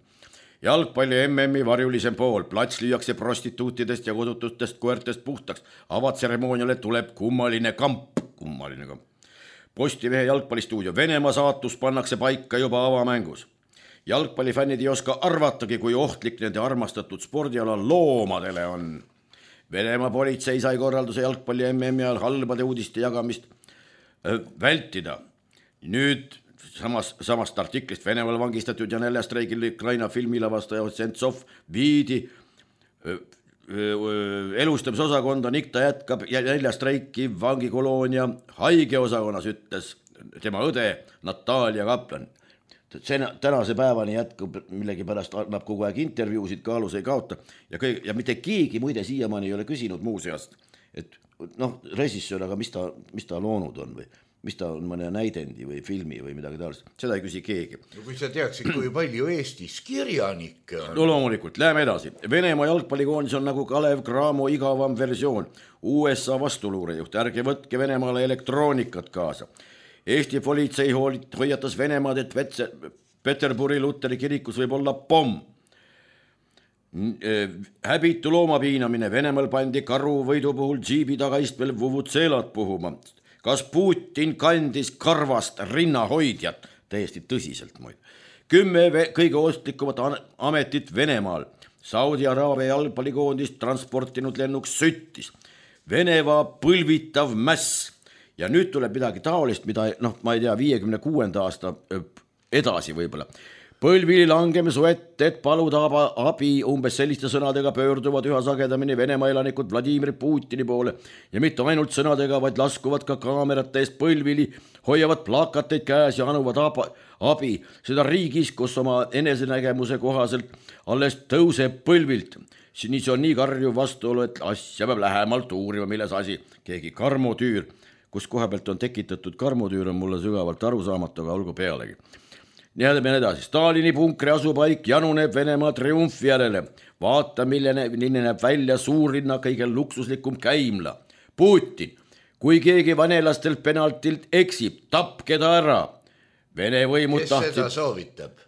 Jalgpalli MM-i varjulisem pool, plats lüüakse prostituutidest ja kodutustest koertest puhtaks. Avatseremooniale tuleb kummaline kamp. Postimehe jalgpallistuudio, Venemaa saatus pannakse paika juba avamängus. Jalgpallifännid ei oska arvatagi, kui ohtlik nende armastatud spordiala loomadele on. Venemaa politsei sai korralduse jalgpalli MM-i ajal halbade uudiste jagamist vältida. Nüüd samast artiklist Venemaal vangistatud ja näljastreigil Ukraina filmilavastaja Sentsov viidi elustamisosakonda, ning ta jätkab näljastreiki vangikoloonia haigeosakonnas, ütles tema õde Natalia Kaplan. Tänase päevani jätkub millegipärast, annab kogu aeg intervjuusid, kaalus ei kaota ja mitte keegi muide siiamaani ei ole küsinud muuseast, et režissöör, aga mis ta loonud on või mis ta on mõne näidendi või filmi või midagi taolist, seda ei küsi keegi. No kui sa teaksid, kui palju Eestis kirjanikke on. No loomulikult, läheme edasi. Venemaa jalgpallikoondis on nagu Kalev Cramo igavam versioon. USA vastuluurejuht, ärge võtke Venemaale elektroonikat kaasa. Eesti politsei hoiatas Venemaad, et Peterburi Luteri kirikus võib olla pomm. Häbitu loomapiinamine, Venemaal pandi karu võidu puhul džiibi tagaistmel vuvutseelad puhuma. Kas Putin kandis karvast rinnahoidjat? Täiesti tõsiselt muid. 10 kõige ostlikumat ametit Venemaal. Saudi Araabia jalgpallikoondist transportinud lennuks süttis. Venemaa põlvitav mäss. Ja nüüd tuleb midagi taolist, mida ma ei tea, 56. aasta edasi võib-olla. Põlvili langeme su ette, et paluda abi, umbes selliste sõnadega pöörduvad üha sagedamini Venemaa elanikud Vladimir Putini poole ja mitte ainult sõnadega, vaid laskuvad ka kaamerate eest põlvili, hoiavad plakateid käes ja anuvad abi, seda riigis, kus oma enesenägemuse kohaselt alles tõuseb põlvilt. See on nii karjuv vastuolu, et asja peab lähemalt uurima, milles asi. Keegi karmotüür, kus koha pealt on tekitatud karmotüür, on mulle sügavalt arusaamatu, aga olgu pealegi. Nii edasi. Stalini punkri asupaik januneb Venemaa triumfi järele. Vaata, milline näeb välja suurlinna kõige luksuslikum käimla. Putin, kui keegi vanelastelt penaltilt eksib, tapke ta ära. Vene võimud tahtsid... Kes seda soovitab?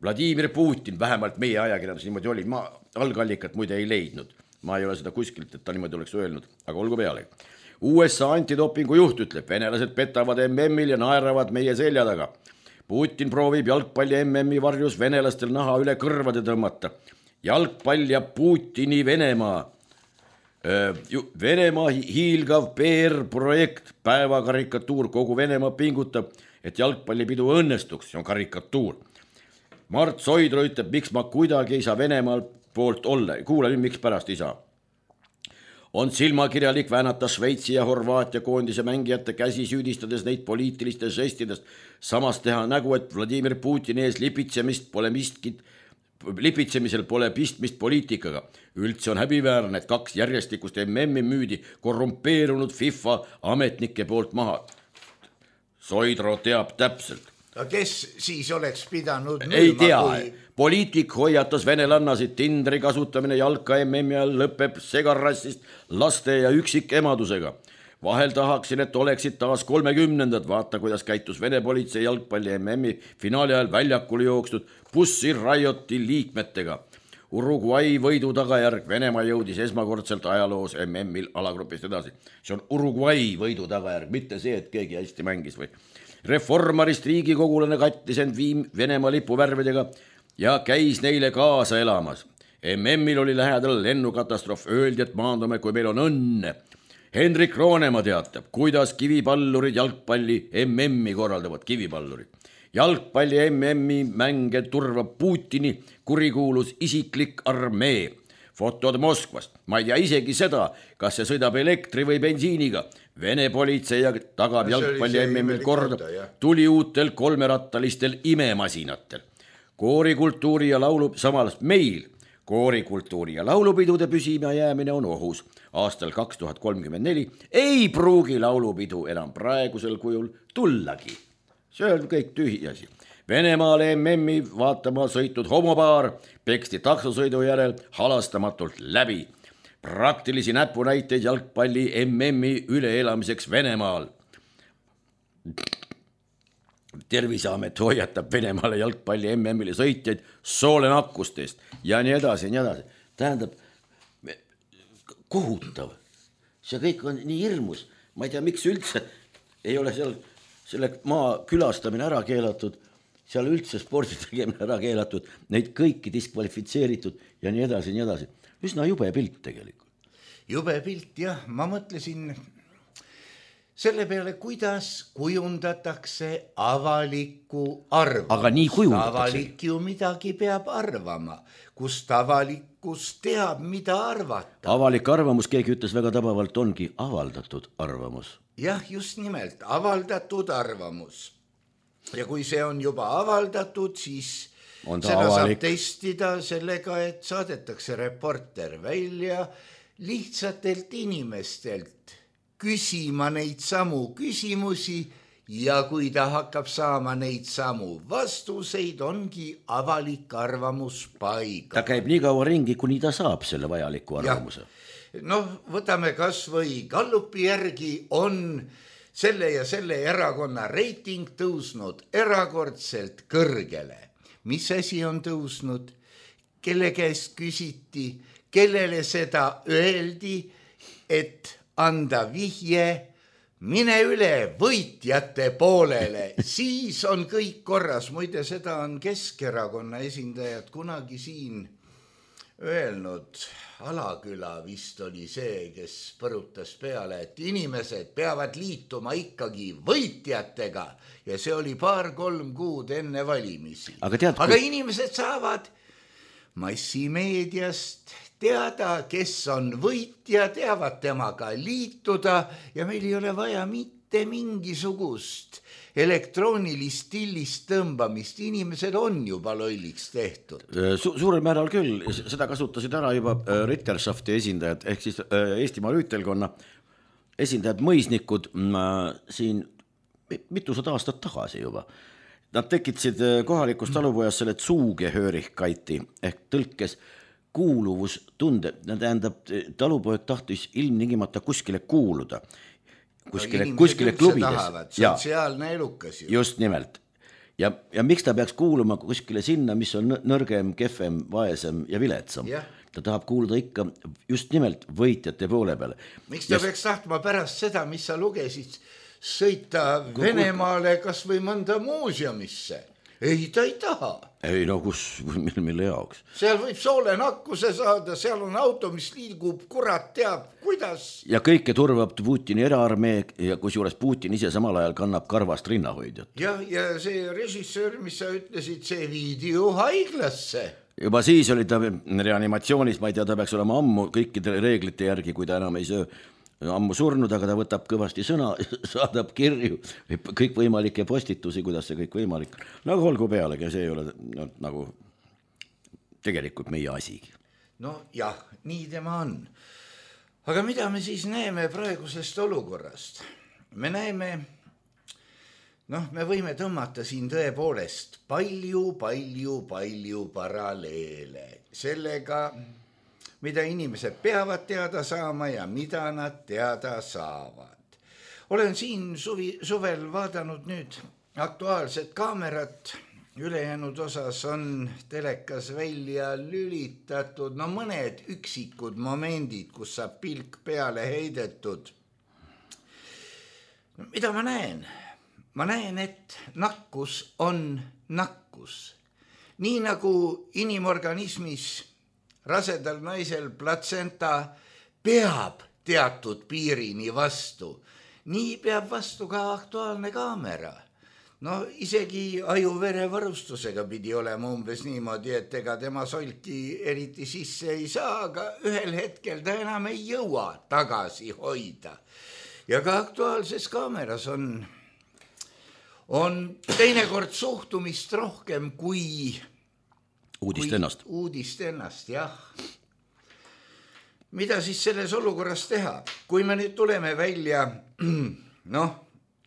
Vladimir Putin, vähemalt meie ajakirjandus niimoodi oli. Ma algallikat muide ei leidnud. Ma ei ole seda kuskilt, et ta niimoodi oleks öelnud, aga olgu pealegi. USA antidopingu juht ütleb, venelased petavad MM-il ja naeravad meie selja taga. Putin proovib jalgpalli MM-i varjus venelastel naha üle kõrvade tõmmata. Jalgpall ja Putini Venemaa. Venemaa hiilgav PR-projekt, päevakarikatuur, kogu Venemaa pingutab, et jalgpallipidu õnnestuks, see on karikatuur. Mart Soidro ütleb, miks ma kuidagi ei saa Venemaal poolt olla. Kuule nüüd, miks pärast ei saa. on silmakirjalik väänata Šveitsi ja Horvaatia koondise mängijate käsi, süüdistades neid poliitiliste žestidest. Samas teha nägu, et Vladimir Putini ees lipitsemisel pole pistmist poliitikaga. Üldse on häbiväärne, et 2 järjestikust MM-i müüdi korrumpeerunud FIFA ametnike poolt maha. Soidro teab täpselt. Kes siis oleks pidanud müüma? Ei tea. Poliitik hoiatas venelannasid, Tinderi kasutamine jalka MM-i all lõpeb segarassist laste ja üksikemadusega. Vahel tahaksin, et oleksid taas 30-ndad. Vaata, kuidas käitus Vene politsei jalgpalli MM-i finaali ajal väljakule jookstud Pussy Rioti liikmetega. Uruguay võidu tagajärg. Venemaa jõudis esmakordselt ajaloos MM-il alagrupist edasi. See on Uruguay võidu tagajärg, mitte see, et keegi hästi mängis või. Reformarist riigikogulane kattis end Venemaa lipuvärvidega ja käis neile kaasa elamas. MM-il oli lähedal lennukatastroof, öeldi, et maandume, kui meil on õnne. Hendrik Roonemaa teatab, kuidas kivipallurid jalgpalli MM-i korraldavad, kivipallurid. Jalgpalli MM-i mänge turvab Putini kurikuulus isiklik armee. Fotod Moskvast. Ma ei tea isegi seda, kas see sõidab elektri või bensiiniga. Vene politsei tagab jalgpalli MM-il korda tuliuutel 3-rattalistel imemasinatel. Koorikultuuri ja laulu, samal meil koorikultuuri ja laulupidude püsima jäämine on ohus. Aastal 2034 ei pruugi laulupidu enam praegusel kujul tullagi. See on kõik tühiasi. Venemaale MM-i vaatama sõitnud homopaar peksti taksosõidu järel halastamatult läbi. Praktilisi näpunäiteid jalgpalli MM-i üleelamiseks Venemaal. Terviseamet hoiatab Venemaale jalgpalli MM-ile sõitjaid soolenakkustest ja nii edasi, nii edasi. Tähendab, kohutav. See kõik on nii hirmus. Ma ei tea, miks üldse ei ole seal selle maa külastamine ära keelatud, seal üldse spordi tegemine ära keelatud, neid kõiki diskvalifitseeritud ja nii edasi, nii edasi. Üsna jube pilt tegelikult. Jube pilt, jah. Ma mõtlesin selle peale, kuidas kujundatakse avalikku arvamust. Aga nii kujundatakse. Avalik ju midagi peab arvama, kust avalikkus teab, mida arvata. Avalik arvamus, keegi ütles väga tabavalt, ongi avaldatud arvamus. Jah, just nimelt, avaldatud arvamus. Ja kui see on juba avaldatud, siis seda saab testida sellega, et saadetakse reporter välja lihtsatelt inimestelt küsima neid samu küsimusi ja kui ta hakkab saama neid samu vastuseid, ongi avalik arvamus paiga. Ta käib nii kaua ringi, kuni ta saab selle vajaliku arvamuse. Noh, võtame kas või Gallupi järgi on selle ja selle erakonna reiting tõusnud erakordselt kõrgele. Mis asi on tõusnud? Kelle käest küsiti, kellele seda öeldi, et anda vihje, mine üle võitjate poolele, siis on kõik korras. Muide, seda on Keskerakonna esindajad kunagi siin öelnud. Alaküla vist oli see, kes põrutas peale, et inimesed peavad liituma ikkagi võitjatega ja see oli 2-3 kuud enne valimisi. Aga inimesed saavad massimeediast teada, kes on võitja, teavad temaga liituda ja meil ei ole vaja mitte mingisugust elektroonilist stillist tõmbamist. Inimesed on juba lolliks tehtud. Suurel määral küll, seda kasutasid ära juba Ritterschafti esindajad, ehk siis Eestimaa Rüütelkonna esindajad, mõisnikud siin mitusada aastat tagasi juba. Nad tekitasid kohalikus talupojas selle Zugehörigkeiti ehk tõlkes kuuluvustunde. Tähendab, talupoeg tahtis ilmningimata kuskile kuuluda. Kuskile klubides. Sotsiaalne elukas ju. Just nimelt. Ja miks ta peaks kuuluma kuskile sinna, mis on nõrgem, kehvem, vaesem ja viletsam? Ta tahab kuuluda ikka just nimelt võitjate poole peale. Miks ta peaks tahtma pärast seda, mis sa lugesid, sõita Venemaale kas või mõnda muuseumisse? ei, ta ei taha. Ei no mille jaoks? Seal võib soolenakkuse saada, seal on auto, mis liigub, kurat teab, kuidas. Ja kõike turvab Putini eraarmee ja kusjuures Putin ise samal ajal kannab karvast rinnahoidjat. Ja see režissöör, mis sa ütlesid, see viidi ju haiglasse. Juba siis oli ta reanimatsioonis, ma ei tea, ta peaks olema ammu kõikide reeglite järgi, kui ta enam ei söö, ammu surnud, aga ta võtab kõvasti sõna, saadab kirju, kõikvõimalikke postitusi, kuidas see kõik võimalik. Nagu olgu pealegi, see ei ole nagu tegelikult meie asigi. No jah, nii tema on. Aga mida me siis näeme praegusest olukorrast? Me näeme, me võime tõmmata siin tõepoolest palju paralleele sellega, mida inimesed peavad teada saama ja mida nad teada saavad. Olen siin suvel vaadanud nüüd Aktuaalset kaamerat, ülejäänud osas on telekas välja lülitatud, mõned üksikud momendid, kus saab pilk peale heidetud. Mida ma näen? Ma näen, et nakkus on nakkus. Nii nagu inimorganismis rasedal naisel platsenta peab teatud piirini vastu, nii peab vastu ka Aktuaalne kaamera. Isegi aju-verevarustusega pidi olema umbes niimoodi, et ega tema solki eriti sisse ei saa, aga ühel hetkel ta enam ei jõua tagasi hoida. Ja ka Aktuaalses kaameras on teinekord suhtumist rohkem kui uudist ennast, jah. Mida siis selles olukorras teha? Kui me nüüd tuleme välja,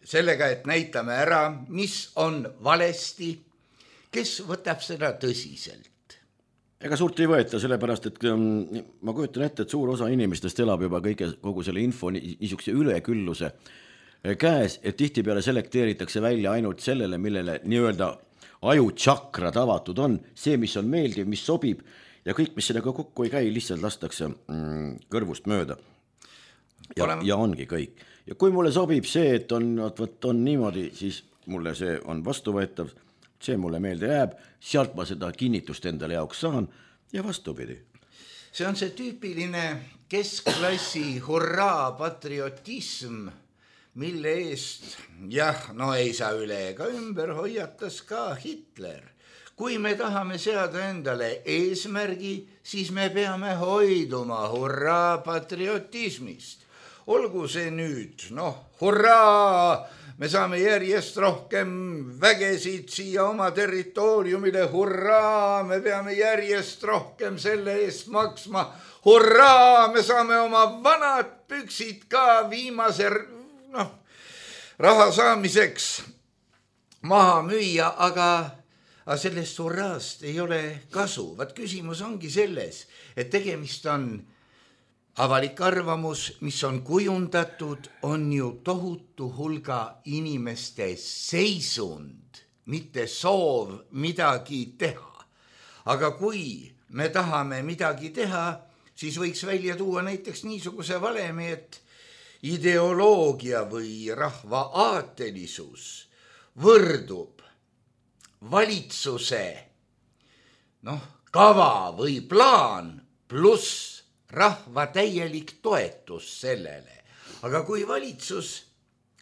sellega, et näitame ära, mis on valesti, kes võtab seda tõsiselt? Ega suurt ei võeta, sellepärast, et ma kujutan ette, et suur osa inimestest elab juba kogu selle info niisuguse ülekülluse käes, et tihtipeale selekteeritakse välja ainult sellele, millele nii-öelda ajutšakrad avatud on, see, mis on meeldiv, mis sobib ja kõik, mis sellega kokku ei käi, lihtsalt lastakse kõrvust mööda. Ja ongi kõik. Ja kui mulle sobib see, et on niimoodi, siis mulle see on vastuvõetav, see mulle meelde jääb, sealt ma seda kinnitust endale jaoks saan ja vastupidi. See on see tüüpiline keskklassi hurraa patriotism, mille eest, ei saa üle ega ümber, hoiatas ka Hitler. Kui me tahame seada endale eesmärgi, siis me peame hoiduma hurraa patriotismist. Olgu see nüüd, hurraa, me saame järjest rohkem vägesid siia oma territooriumile, hurraa, me peame järjest rohkem selle eest maksma, hurraa, me saame oma vanad püksid ka viimase raha saamiseks maha müüa, aga sellest hurraast ei ole kasu. Vaat küsimus ongi selles, et tegemist on avalik arvamus, mis on kujundatud, on ju tohutu hulga inimeste seisund, mitte soov midagi teha. Aga kui me tahame midagi teha, siis võiks välja tuua näiteks niisuguse valemi, et ideoloogia või rahva aatelisus võrdub valitsuse kava või plaan pluss rahva täielik toetus sellele. Aga kui valitsus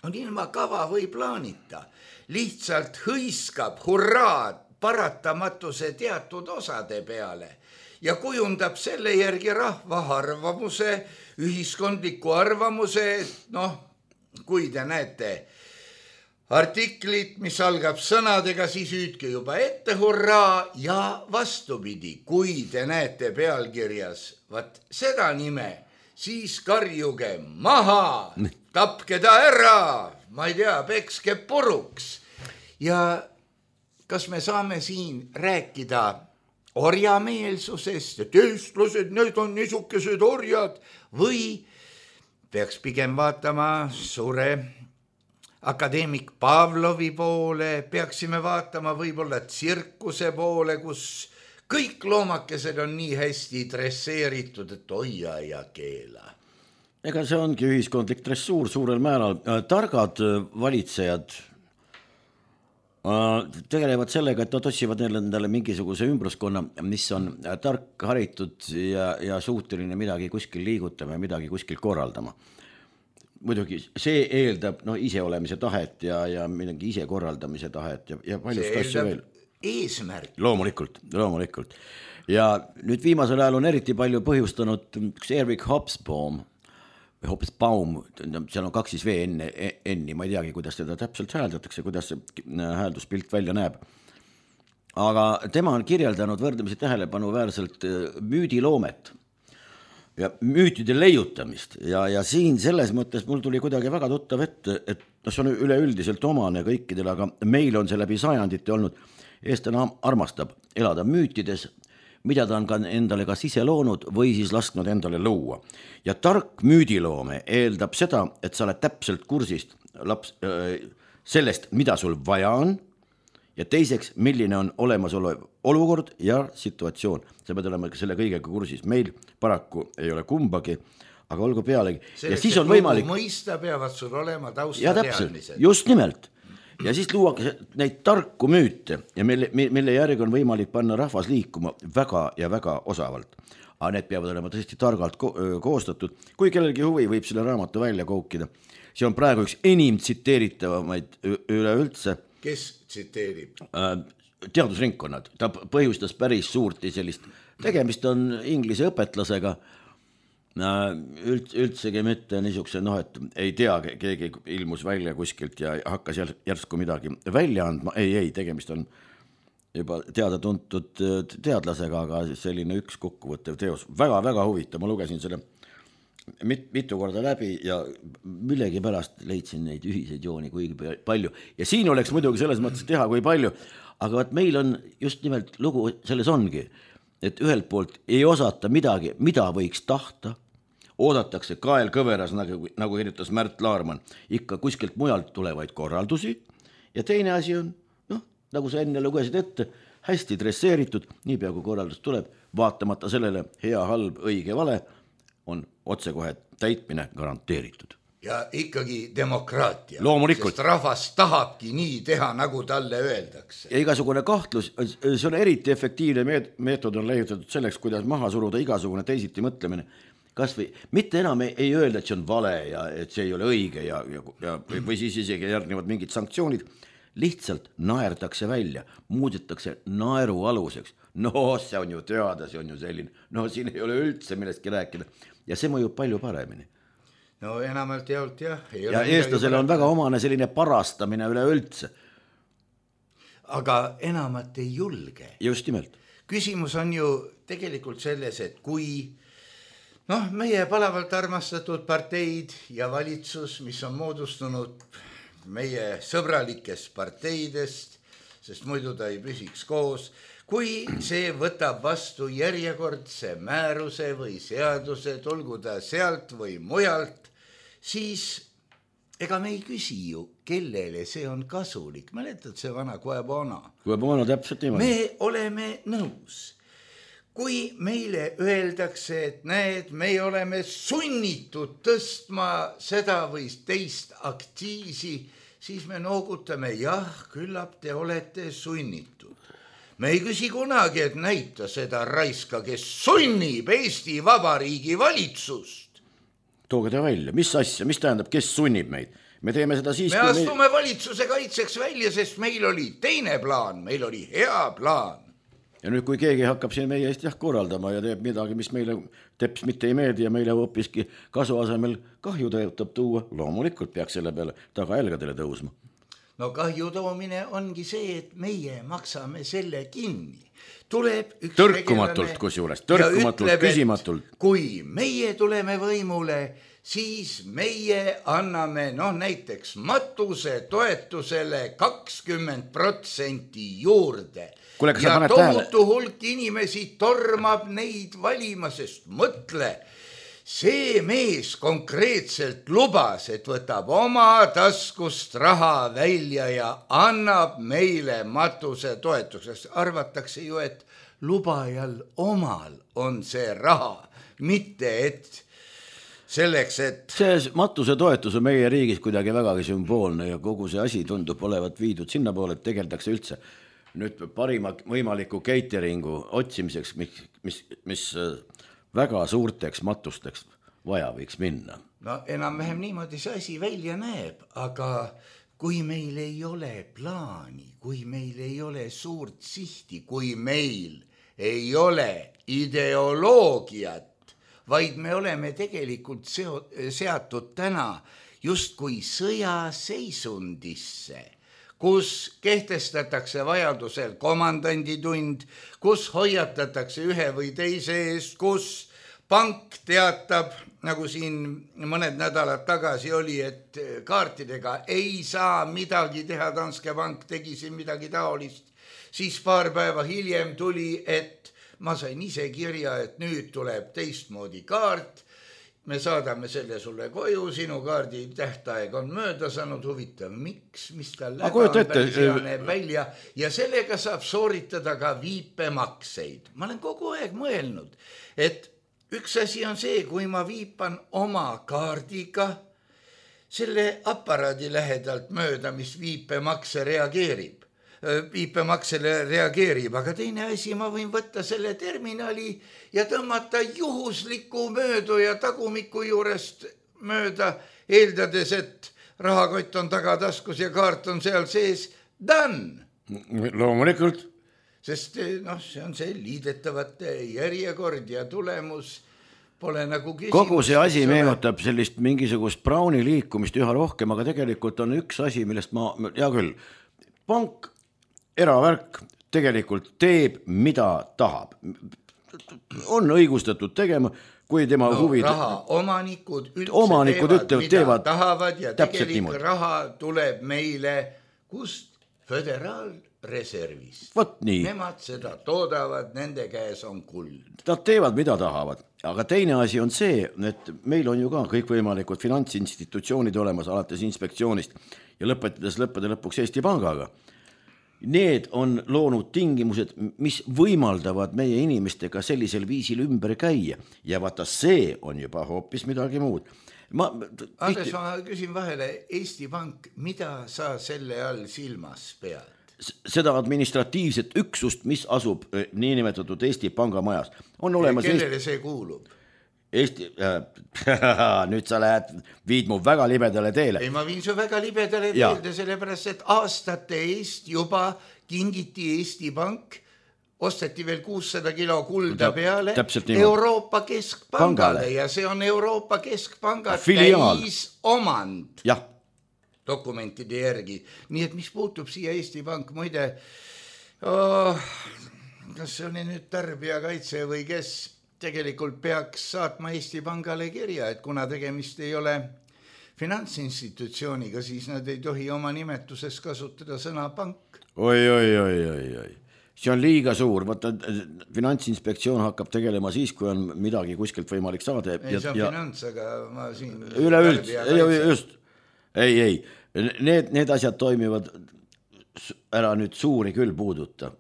on ilma kava või plaanita, lihtsalt hõiskab hurraad paratamatuse teatud osade peale ja kujundab selle järgi rahva arvamuse, ühiskondliku arvamuse, et kui te näete artiklit, mis algab sõnadega, siis hüüdke juba ette hurraa ja vastupidi, kui te näete pealkirjas seda nime, siis karjuge maha, tapke ta ära, ma ei tea, pekske puruks. Ja kas me saame siin rääkida orjameelsusest, et eestlased, need on niisugused orjad, või peaks pigem vaatama suure akadeemik Pavlovi poole, peaksime vaatama võib-olla tsirkuse poole, kus kõik loomakesed on nii hästi dresseeritud, et hoia ja keela. Ega see ongi ühiskondlik dressuur suurel määral. Targad valitsejad tegelevad sellega, et nad otsivad endale mingisuguse ümbruskonna, mis on tark, haritud ja suuteline midagi kuskil liigutama ja midagi kuskil korraldama. Muidugi see eeldab iseolemise tahet ja midagi ise korraldamise tahet ja paljust asju veel. Eesmärk. Loomulikult. Ja nüüd viimasel ajal on eriti palju põhjustanud üks Eric Hobsbawm, seal on 2 V enni, ma ei teagi, kuidas teda täpselt hääldatakse, kuidas see häälduspilt välja näeb. Aga tema on kirjeldanud võrdlemisi tähelepanuväärselt müüdiloomet ja müütide leiutamist ja siin selles mõttes mul tuli kuidagi väga tuttav ette, et see on üleüldiselt omane kõikidele, aga meil on see läbi sajandite olnud, eestlane armastab elada müütides, mida ta on ka endale kas ise loonud või siis lasknud endale luua. Ja tark müüdiloome eeldab seda, et sa oled täpselt kursist sellest, mida sul vaja on, ja teiseks, milline on olemasolev olukord ja situatsioon. Sa pead olema selle kõigega kursis. Meil paraku ei ole kumbagi, aga olgu pealegi. Selleks, ja siis on võimalik mõista, peavad sul olema taustateadmised. Just nimelt. Ja siis luuakse neid tarku müüte ja mille järgi on võimalik panna rahvas liikuma väga ja väga osavalt. Aga need peavad olema tõesti targalt koostatud. Kui kellelgi huvi, võib selle raamatu välja koukida. See on praegu üks enim tsiteeritavamaid üleüldse. Kes tsiteerib? Teadusringkonnad. Ta põhjustas päris suurt sellist. Tegemist on inglise õpetlasega. Üldsegi mitte niisuguse, et ei tea, keegi ilmus välja kuskilt ja hakkas järsku midagi välja andma. Ei, tegemist on juba teada-tuntud teadlasega, aga selline üks kokkuvõttev teos. Väga huvitav, ma lugesin selle mitu korda läbi ja millegi pärast leidsin neid ühiseid jooni kui palju. Ja siin oleks muidugi selles mõttes teha kui palju, aga meil on just nimelt lugu selles ongi, et ühelt poolt ei osata midagi, mida võiks tahta, oodatakse kael kõveras, nagu kirjutas Märt Laarman, ikka kuskilt mujalt tulevaid korraldusi ja teine asi on, nagu sa enne lugesid ette, hästi dresseeritud, niipea kui korraldus tuleb, vaatamata sellele hea, halb, õige, vale, on otsekohe täitmine garanteeritud. Ja ikkagi demokraatia. Loomulikult. Sest rahvas tahabki nii teha, nagu talle öeldakse. Ja igasugune kahtlus, see on eriti efektiivne meetod on leiutatud selleks, kuidas maha suruda igasugune teisiti mõtlemine. Kas või mitte enam ei öelda, et see on vale ja et see ei ole õige või siis isegi järgnevad mingid sanktsioonid. Lihtsalt naerdakse välja, muudetakse naeru aluseks. See on ju teada, see on ju selline. Siin ei ole üldse millestki rääkida ja see mõjub palju paremini. Enamalt jaolt jah. Ja eestlasele on väga omane selline parastamine üleüldse. Aga enamat ei julge. Just nimelt. Küsimus on ju tegelikult selles, et kui meie palavalt armastatud parteid ja valitsus, mis on moodustunud meie sõbralikest parteidest, sest muidu ta ei püsiks koos, kui see võtab vastu järjekordse määruse või seaduse, tulgu ta sealt või mujalt, siis ega me ei küsi ju, kellele see on kasulik. Mäletad see vana Guebona? Guebona täpselt niimoodi. Me oleme nõus. Kui meile öeldakse, et näed, me oleme sunnitud tõstma seda või teist aktiisi, siis me noogutame, jah, küllap te olete sunnitud. Me ei küsi kunagi, et näita seda raiska, kes sunnib Eesti Vabariigi valitsust. Tooge ta välja, mis asja, mis tähendab, kes sunnib meid? Me teeme seda siis, me astume valitsuse kaitseks välja, sest meil oli teine plaan, meil oli hea plaan. Ja nüüd, kui keegi hakkab siin meie eest korraldama ja teeb midagi, mis meile teps mitte ei meeldi ja meile hoopiski kasu asemel kahju tõotab tuua, loomulikult peaks selle peale tagajälgadele tõusma. Kahju toomine ongi see, et meie maksame selle kinni. Tuleb üks tõrkumatult kusjuures, tõrkumatult, küsimatult. Kui meie tuleme võimule, siis meie anname näiteks matuse toetusele 20% juurde. Ja tohutu hulk inimesi tormab neid valima, sest mõtle, see mees konkreetselt lubas, et võtab oma taskust raha välja ja annab meile matuse toetuseks. Arvatakse ju, et lubajal omal on see raha, mitte et selleks, et see matusetoetus on meie riigis kuidagi vägagi sümboolne ja kogu see asi tundub olevat viidud sinna poole, et tegeldakse üldse nüüd parima võimaliku cateringu otsimiseks, mis väga suurteks matusteks vaja võiks minna. No enam-vähem niimoodi see asi välja näeb, aga kui meil ei ole plaani, kui meil ei ole suurt sihti, kui meil ei ole ideoloogiat, vaid me oleme tegelikult seatud täna justkui sõjaseisundisse, kus kehtestatakse vajadusel komandanditund, kus hoiatatakse ühe või teise eest, kus pank teatab, nagu siin mõned nädalad tagasi oli, et kaartidega ei saa midagi teha, Danske Bank tegi siin midagi taolist, siis paar päeva hiljem tuli, et ma sain ise kirja, et nüüd tuleb teistmoodi kaart, me saadame selle sulle koju, sinu kaardi tähtaeg on mööda saanud, huvitav, miks, mis tal läba on, päris hea näeb välja ja sellega saab sooritada ka viipemakseid. Ma olen kogu aeg mõelnud, et üks asi on see, kui ma viipan oma kaardiga selle aparaadi lähedalt mööda, mis viipemaksele reageerib, aga teine asi, ma võin võtta selle terminali ja tõmmata juhusliku mööduja tagumiku juurest mööda, eeldades, et rahakott on tagataskus ja kaart on seal sees, done. Loomulikult. Sest see on see liidetavate järjekord ja tulemus pole nagu küsimus. Kogu see asi meenutab sellist mingisugust Browni liikumist üha rohkem, aga tegelikult on üks asi, millest hea küll, pank, eravärk tegelikult teeb, mida tahab. On õigustatud tegema, kui tema huvid... Omanikud üldse teevad, mida tahavad ja tegelik raha tuleb meile kust? Föderaalreservist. Nemad seda toodavad, nende käes on kuld. Nad teevad, mida tahavad. Aga teine asi on see, et meil on ju ka kõikvõimalikud finantsinstitutsioonid olemas alates inspektsioonist ja lõpetades lõppede lõpuks Eesti Pangaga. Need on loonud tingimused, mis võimaldavad meie inimestega sellisel viisil ümber käia. Ja vaata, see on juba hoopis midagi muud. Andres, ma küsin vahele, Eesti Pank, mida sa selle all silmas pead? Seda administratiivset üksust, mis asub niinimetatud Eesti Panga majas. On olemas ja kellele see kuulub? Nüüd sa viid mu väga libedale teele. Ei, ma viin su väga libedale teelde, sellepärast, et aastate eest juba kingiti Eesti Pank, osteti veel 600 kilo kulda peale Euroopa Keskpangale ja see on Euroopa Keskpanga täisomand dokumentide järgi. Nii et mis puutub siia Eesti Pank, muide, kas see on nüüd tarbijakaitse või kes tegelikult peaks saatma Eesti Pangale kirja, et kuna tegemist ei ole finantsinstitutsiooniga, siis nad ei tohi oma nimetuses kasutada sõna pank. Oi. See on liiga suur, vaata finantsinspektsioon hakkab tegelema siis, kui on midagi kuskilt võimalik saada. Ei, see on finants, aga ma siin... Just. Ei. Need asjad toimivad ära nüüd suuri küll puuduta.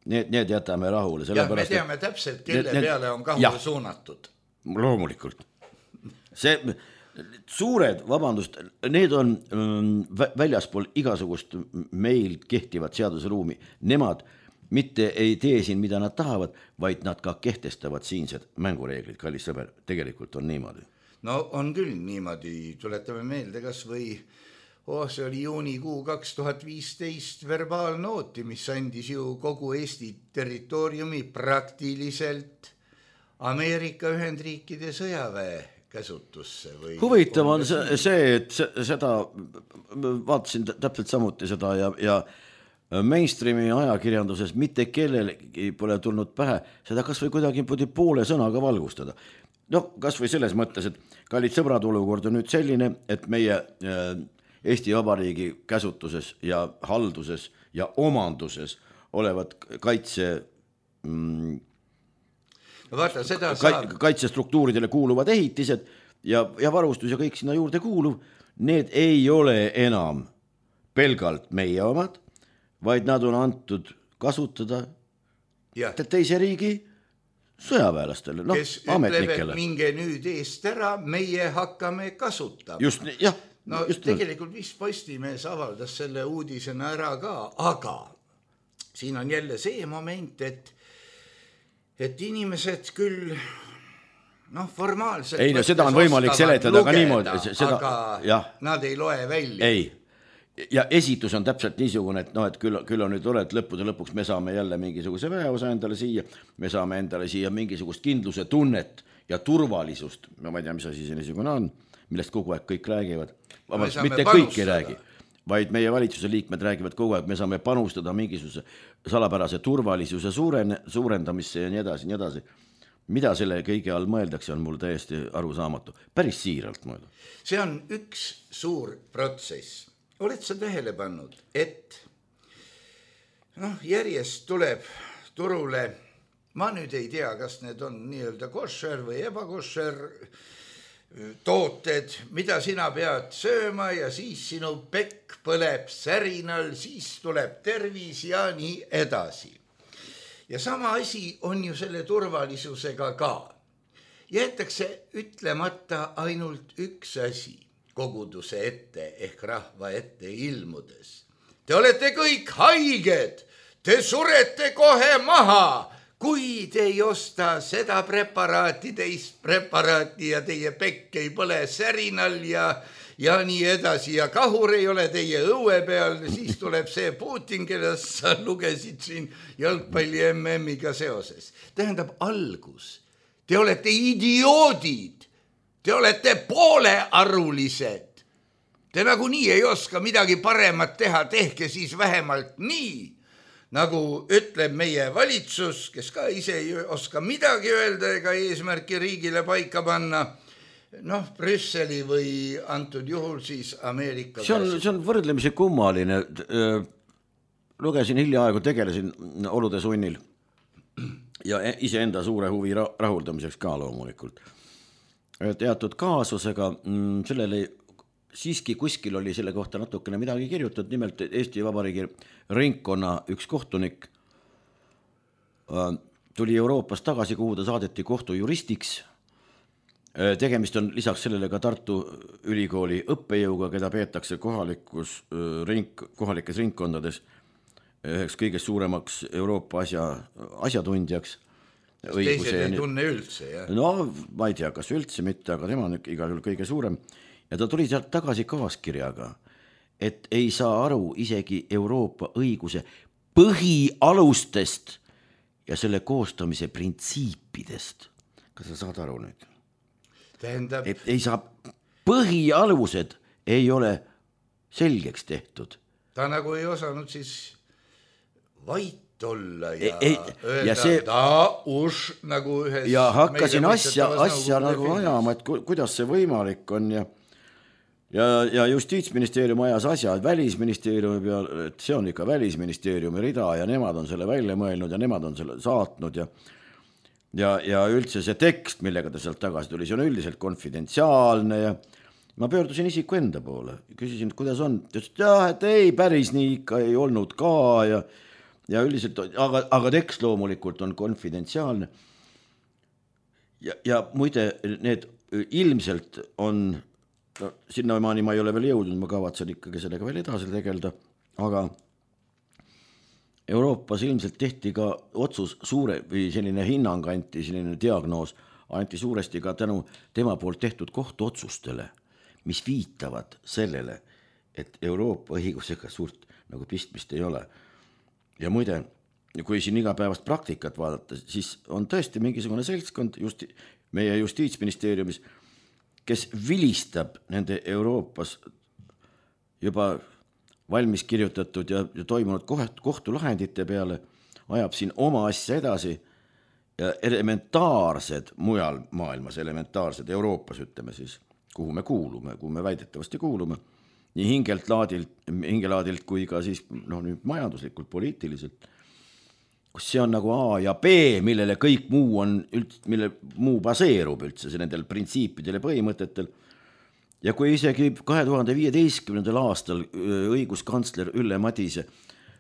Need jätame rahule. Ja me teame täpselt, kelle peale on kahule suunatud. Loomulikult. See... Suured, vabandust, need on väljaspool igasugust meil kehtivat seadusruumi. Nemad mitte ei tee siin, mida nad tahavad, vaid nad ka kehtestavad siinsed mängureeglid, kallis sõber, tegelikult on niimoodi. No on küll niimoodi, tuletame meelde kas või, see oli juunikuu 2015 verbaalnooti, mis andis ju kogu Eesti territooriumi praktiliselt Ameerika Ühendriikide sõjaväe käsutusse. Huvitav on see, et seda vaatasin täpselt samuti seda ja mainstreami ajakirjanduses mitte kellelegi pole tulnud pähe seda kas või kuidagi poole sõnaga valgustada. Kas või selles mõttes, et kallid sõbrad, olukord on nüüd selline, et meie Eesti Vabariigi käsutuses ja halduses ja omanduses olevad kaitsestruktuuridele kuuluvad ehitised ja varustus ja kõik sinna juurde kuuluv, need ei ole enam pelgalt meie omad, vaid nad on antud kasutada teise riigi sõjaväelastele, noh, ametnikele. Minge nüüd eest ära, meie hakkame kasutama. Just, jah. No just tegelikult vist Postimees avaldas selle uudisena ära ka, aga siin on jälle see moment, et inimesed küll formaalselt ei, no seda on võimalik seletada ka niimoodi, aga nad ei loe välja. Ei, ja esitus on täpselt niisugune, et et küll on nüüd tore, et lõppude lõpuks me saame jälle mingisuguse väeosa endale siia, me saame endale siia mingisugust kindluse tunnet ja turvalisust, ma ei tea, mis asi see niisugune on, millest kogu aeg kõik räägivad, mitte kõik ei räägi, vaid meie valitsuse liikmed räägivad kogu aeg, me saame panustada mingisuguse salapärase turvalisuse suurendamisse ja nii edasi, nii edasi. Mida selle kõige all mõeldakse, on mul täiesti arusaamatu. Päris siiralt mõelda. See on üks suur protsess. Oled sa tähele pannud, et järjest tuleb turule, ma nüüd ei tea, kas need on nii-öelda košer või ebakošer tooted, mida sina pead sööma ja siis sinu pekk põleb särinal, siis tuleb tervis ja nii edasi. Ja sama asi on ju selle turvalisusega ka. Jäetakse ütlemata ainult üks asi koguduse ette ehk rahva ette ilmudes. Te olete kõik haiged, te surete kohe maha, kui te ei osta seda preparaati, teist preparaati ja teie pekk ei põle särinal ja nii edasi ja kahur ei ole teie õue peal, siis tuleb see Putin, kellest sa lugesid siin jalgpalli MM-iga seoses. Tähendab algus. Te olete idioodid. Te olete poolearulised. Te nagunii ei oska midagi paremat teha, tehke siis vähemalt nii, nagu ütleb meie valitsus, kes ka ise ei oska midagi öelda ega eesmärki riigile paika panna, Brüsseli või antud juhul siis Ameerika. See on võrdlemisi kummaline. Lugesin hiljaaegu, tegelesin olude sunnil ja iseenda suure huvi rahuldamiseks ka loomulikult. Teatud kaasusega, sellele siiski kuskil oli selle kohta natukene midagi kirjutatud, nimelt Eesti Vabariigi ringkonna üks kohtunik tuli Euroopas tagasi, kuhu ta saadeti kohtujuristiks. Tegemist on lisaks sellele ka Tartu Ülikooli õppejõuga, keda peetakse kohalikes ringkondades üheks kõige suuremaks Euroopa asjatundjaks. Teised ei tunne üldse, jah? No, ma ei tea, kas üldse mitte, aga tema on igal juhul kõige suurem. Ja ta tuli sealt tagasi kaaskirjaga, et ei saa aru isegi Euroopa õiguse põhialustest ja selle koostamise printsiipidest. Kas sa saad aru nüüd? Tähendab... Et ei saa, põhialused ei ole selgeks tehtud. Ta nagu ei osanud siis vait olla ja öelda nagu ühes... Ja hakkasin asja nagu ajama, et kuidas see võimalik on ja Justiitsministeerium ajas asja, et Välisministeeriumi peal, et see on ikka Välisministeeriumi rida ja nemad on selle välja mõelnud ja nemad on selle saatnud ja üldse see tekst, millega ta sealt tagasi tuli, see on üldiselt konfidentsiaalne ja ma pöördusin isiku enda poole, küsisin, et kuidas on, ta ütles, et ei, päris nii ikka ei olnud ka ja üldiselt, aga tekst loomulikult on konfidentsiaalne. Ja muide, need ilmselt on, sinnamaani ma ei ole veel jõudnud, ma kavatsen ikkagi sellega veel edasi tegelda, aga Euroopas ilmselt tehti ka otsus suure või selline hinnang anti, selline diagnoos anti suuresti ka tänu tema poolt tehtud kohtuotsustele, mis viitavad sellele, et Euroopa õigusega suurt nagu pistmist ei ole. Ja muide, kui siin igapäevast praktikat vaadata, siis on tõesti mingisugune seltskond meie Justiitsministeeriumis, kes vilistab nende Euroopas juba valmis kirjutatud ja toimunud kohtulahendite peale, ajab siin oma asja edasi ja elementaarsed mujal maailmas, elementaarsed Euroopas, ütleme siis, kuhu me kuulume, kuhu me väidetavasti kuulume, nii hingelaadilt kui ka siis nüüd majanduslikult, poliitiliselt, kus see on nagu A ja B, millele kõik muu on mille muu baseerub üldse nendel printsiipidel ja põhimõtetel. Ja kui isegi 2015. aastal õiguskantsler Ülle Madise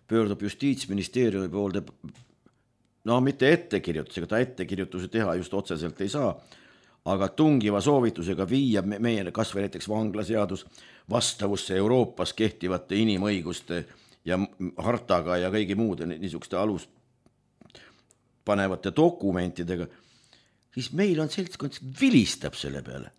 pöördub Justiitsministeeriumi poolde no mitte ettekirjutusega, ta ettekirjutusi teha just otseselt ei saa, aga tungiva soovitusega viia meie kas või näiteks vanglaseadus vastavusse Euroopas kehtivate inimõiguste ja hartaga ja kõigi muude niisuguste alus panevate dokumentidega, siis meil on seltskond, vilistab selle peale.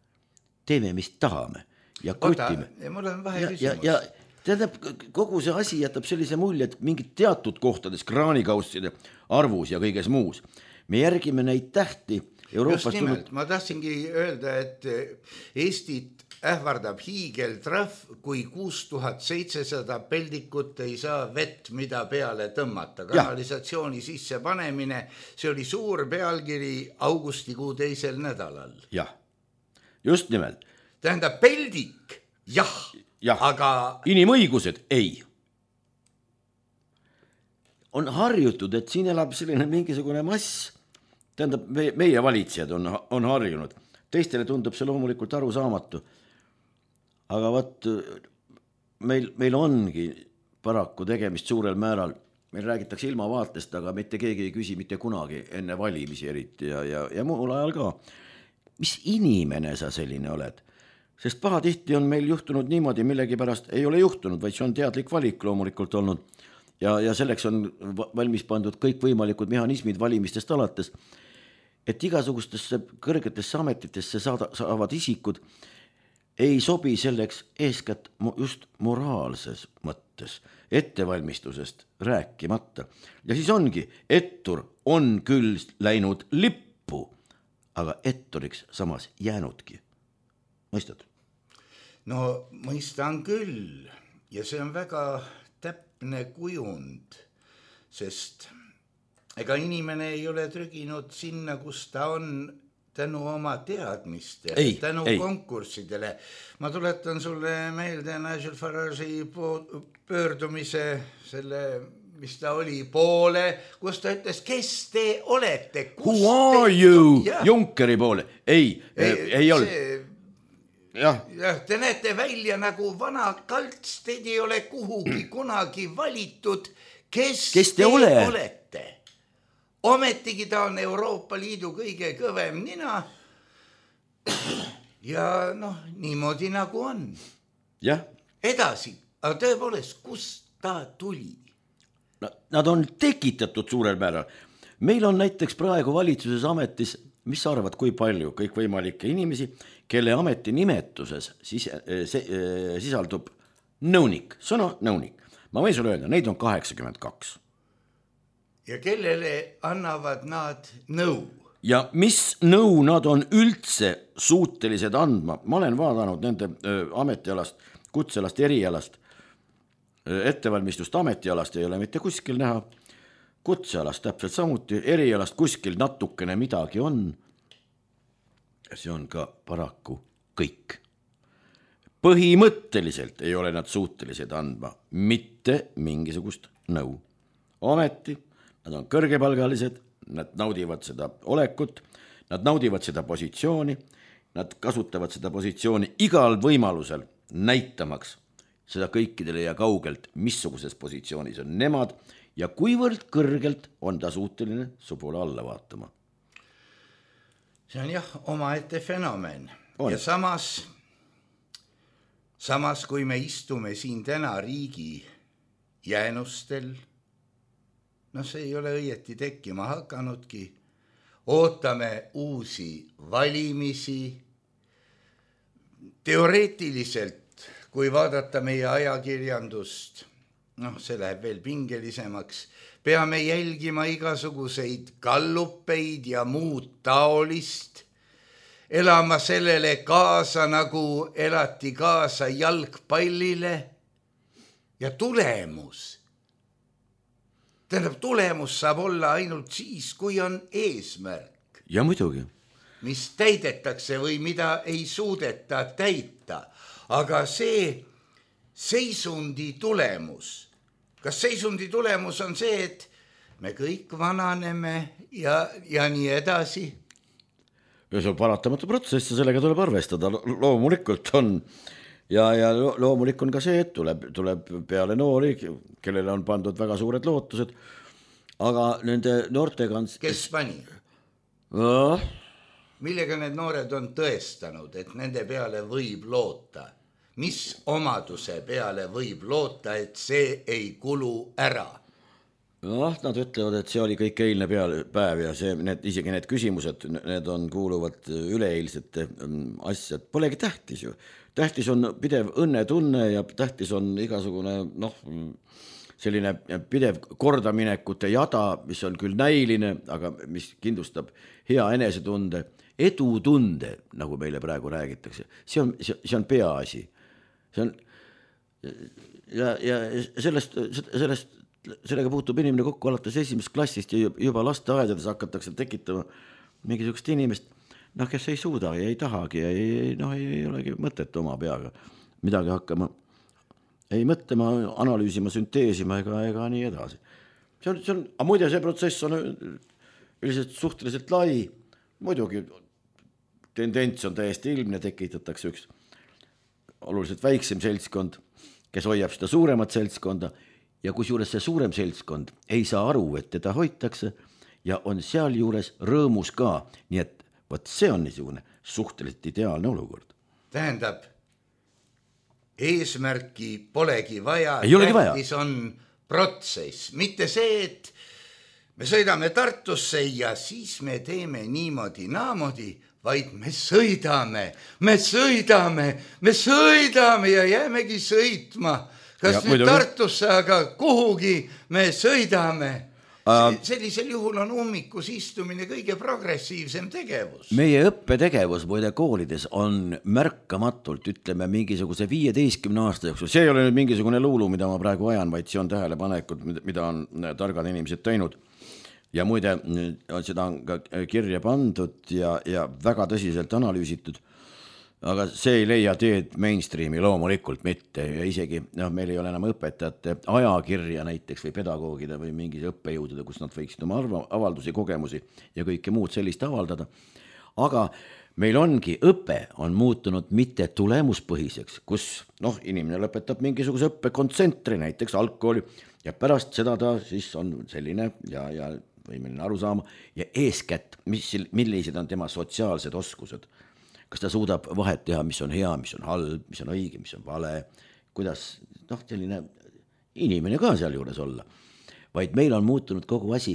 Teeme, mis tahame ja kutime. Mul on vahe küsimus. Ja tähendab, kogu see asi jätab sellise mulje, et mingid teatud kohtades kraanikausside arvus ja kõiges muus. Me järgime neid tähti Euroopas. Just nimelt, ma tahtsingi öelda, et Eestit ähvardab hiigeltrahv, kui 6700 peldikut ei saa vett, mida peale tõmmata. Kanalisatsiooni sisse panemine, see oli suur pealkiri augustikuu 2. nädalal. Jah, just nimelt. Tähendab, peldik, jah. Aga inimõigused ei. On harjutud, et siin elab selline mingisugune mass, tähendab, meie valitsejad on harjunud. Teistele tundub see loomulikult arusaamatu. Aga meil ongi paraku tegemist suurel määral, meil räägitakse ilmavaatest, aga mitte keegi ei küsi mitte kunagi enne valimisi eriti ja muul ajal ka. Mis inimene sa selline oled? Sest pahatihti on meil juhtunud niimoodi, millegipärast ei ole juhtunud, vaid see on teadlik valik loomulikult olnud ja selleks on valmis pandud kõik võimalikud mehhanismid valimistest alates, et igasugustesse kõrgetesse ametitesse saavad isikud ei sobi selleks eeskätt just moraalses mõttes, ettevalmistusest rääkimata. Ja siis ongi, ettur on küll läinud lippu, aga etturiks samas jäänudki. Mõistad? No mõistan küll ja see on väga täpne kujund, sest ega inimene ei ole trüginud sinna, kus ta on tänu oma teadmistele, tänu konkurssidele. Ma tuletan sulle meelde Nigel Farage'i pöördumise selle, mis ta oli poole, kus ta ütles, kes te olete? Who are you? Junckeri poole. Ei olnud. Jah, te näete välja nagu vana kalts, teid ei ole kuhugi kunagi valitud. Kes te olete? Ometigi ta on Euroopa Liidu kõige kõvem nina ja niimoodi nagu on. Jah. Edasi, aga tõepoolest, kust ta tuli? Nad on tekitatud suurel määral. Meil on näiteks praegu valitsuses ametis, mis sa arvad, kui palju kõikvõimalikke inimesi, kelle ameti nimetuses sisaldub nõunik, sõna nõunik. Ma võin sulle öelda, neid on 82. Ja kellele annavad nad nõu? Ja mis nõu nad on üldse suutelised andma? Ma olen vaadanud nende ametialast, kutselast, erialast, ettevalmistust ametialast ei ole mitte kuskil näha. Kutsealast täpselt samuti, erialast kuskil natukene midagi on. See on ka paraku kõik. Põhimõtteliselt ei ole nad suutelised andma mitte mingisugust nõu. Ometi nad on kõrgepalgalised, nad naudivad seda olekut, nad naudivad seda positsiooni, nad kasutavad seda positsiooni igal võimalusel näitamaks seda kõikidele ja kaugelt, missuguses positsioonis on nemad ja kuivõrd kõrgelt on ta suuteline su poole alla vaatama. See on jah omaette fenomen. On. Ja samas kui me istume siin täna riigi jäänustel, see ei ole õieti tekkima hakanudki, ootame uusi valimisi. Teoreetiliselt, kui vaadata meie ajakirjandust, see läheb veel pingelisemaks, peame jälgima igasuguseid gallupeid ja muud taolist, elama sellele kaasa, nagu elati kaasa jalgpallile ja tulemus saab olla ainult siis, kui on eesmärk. Ja muidugi. Mis täidetakse või mida ei suudeta täita. Aga see seisundi tulemus, kas seisundi tulemus on see, et me kõik vananeme ja nii edasi? Ja see on paratamatu protsess ja sellega tuleb arvestada. Loomulikult on ja loomulik on ka see, et tuleb peale noori, kellele on pandud väga suured lootused. aga nende noortega on... Kes pani? Millega need noored on tõestanud, et nende peale võib loota? Mis omaduse peale võib loota, et see ei kulu ära? Nad ütlevad, et see oli kõik eilne päev ja isegi need küsimused, need kuuluvad üleeilsete asjad. Polegi tähtis ju. Tähtis on pidev õnnetunne ja tähtis on igasugune selline pidev kordaminekute jada, mis on küll näiline, aga mis kindlustab hea enesetunde, edutunde, nagu meile praegu räägitakse. See on peaasi. Ja sellega puutub inimene kokku alates 1. klassist ja juba lasteaedades hakatakse tekitama mingisugust inimest, kes ei suuda ja ei tahagi ja ei olegi mõtet oma peaga midagi hakkama ei mõtlema, analüüsima, sünteesima ega nii edasi. Aga muide, see protsess on üldiselt suhteliselt lai, muidugi tendents on täiesti ilmne, tekitatakse üks oluliselt väiksem seltskond, kes hoiab seda suuremat seltskonda ja kusjuures see suurem seltskond ei saa aru, et teda hoitakse ja on seal juures rõõmus ka, nii et see on niisugune suhteliselt ideaalne olukord. Tähendab, eesmärki polegi vaja, tähtis on protsess, mitte see, et me sõidame Tartusse ja siis me teeme niimoodi, vaid me sõidame ja jäämegi sõitma. Kas nüüd Tartusse, aga kuhugi me sõidame. Sellisel juhul on ummikus istumine kõige progressiivsem tegevus. Meie õppetegevus muide koolides on märkamatult, ütleme, mingisuguse 15 aasta jooksul. See ei ole nüüd mingisugune luulu, mida ma praegu ajan, vaid see on tähelepanekud, mida on targad inimesed teinud. Ja muide, seda on ka kirja pandud ja väga tõsiselt analüüsitud. Aga see ei leia teed mainstreami loomulikult mitte ja isegi meil ei ole enam õpetajate ajakirja näiteks või pedagoogide või mingi õppejõudude, kus nad võiksid oma avaldusi, kogemusi ja kõike muud sellist avaldada. Aga meil õpe on muutunud mitte tulemuspõhiseks, kus inimene lõpetab mingisuguse õppekontsentri, näiteks algkooli ja pärast seda ta siis on selline ja võimeline aru saama ja eeskätt, millised on tema sotsiaalsed oskused. Kas ta suudab vahet teha, mis on hea, mis on halb, mis on õige, mis on vale, kuidas selline inimene ka seal juures olla. Vaid meil on muutunud kogu asi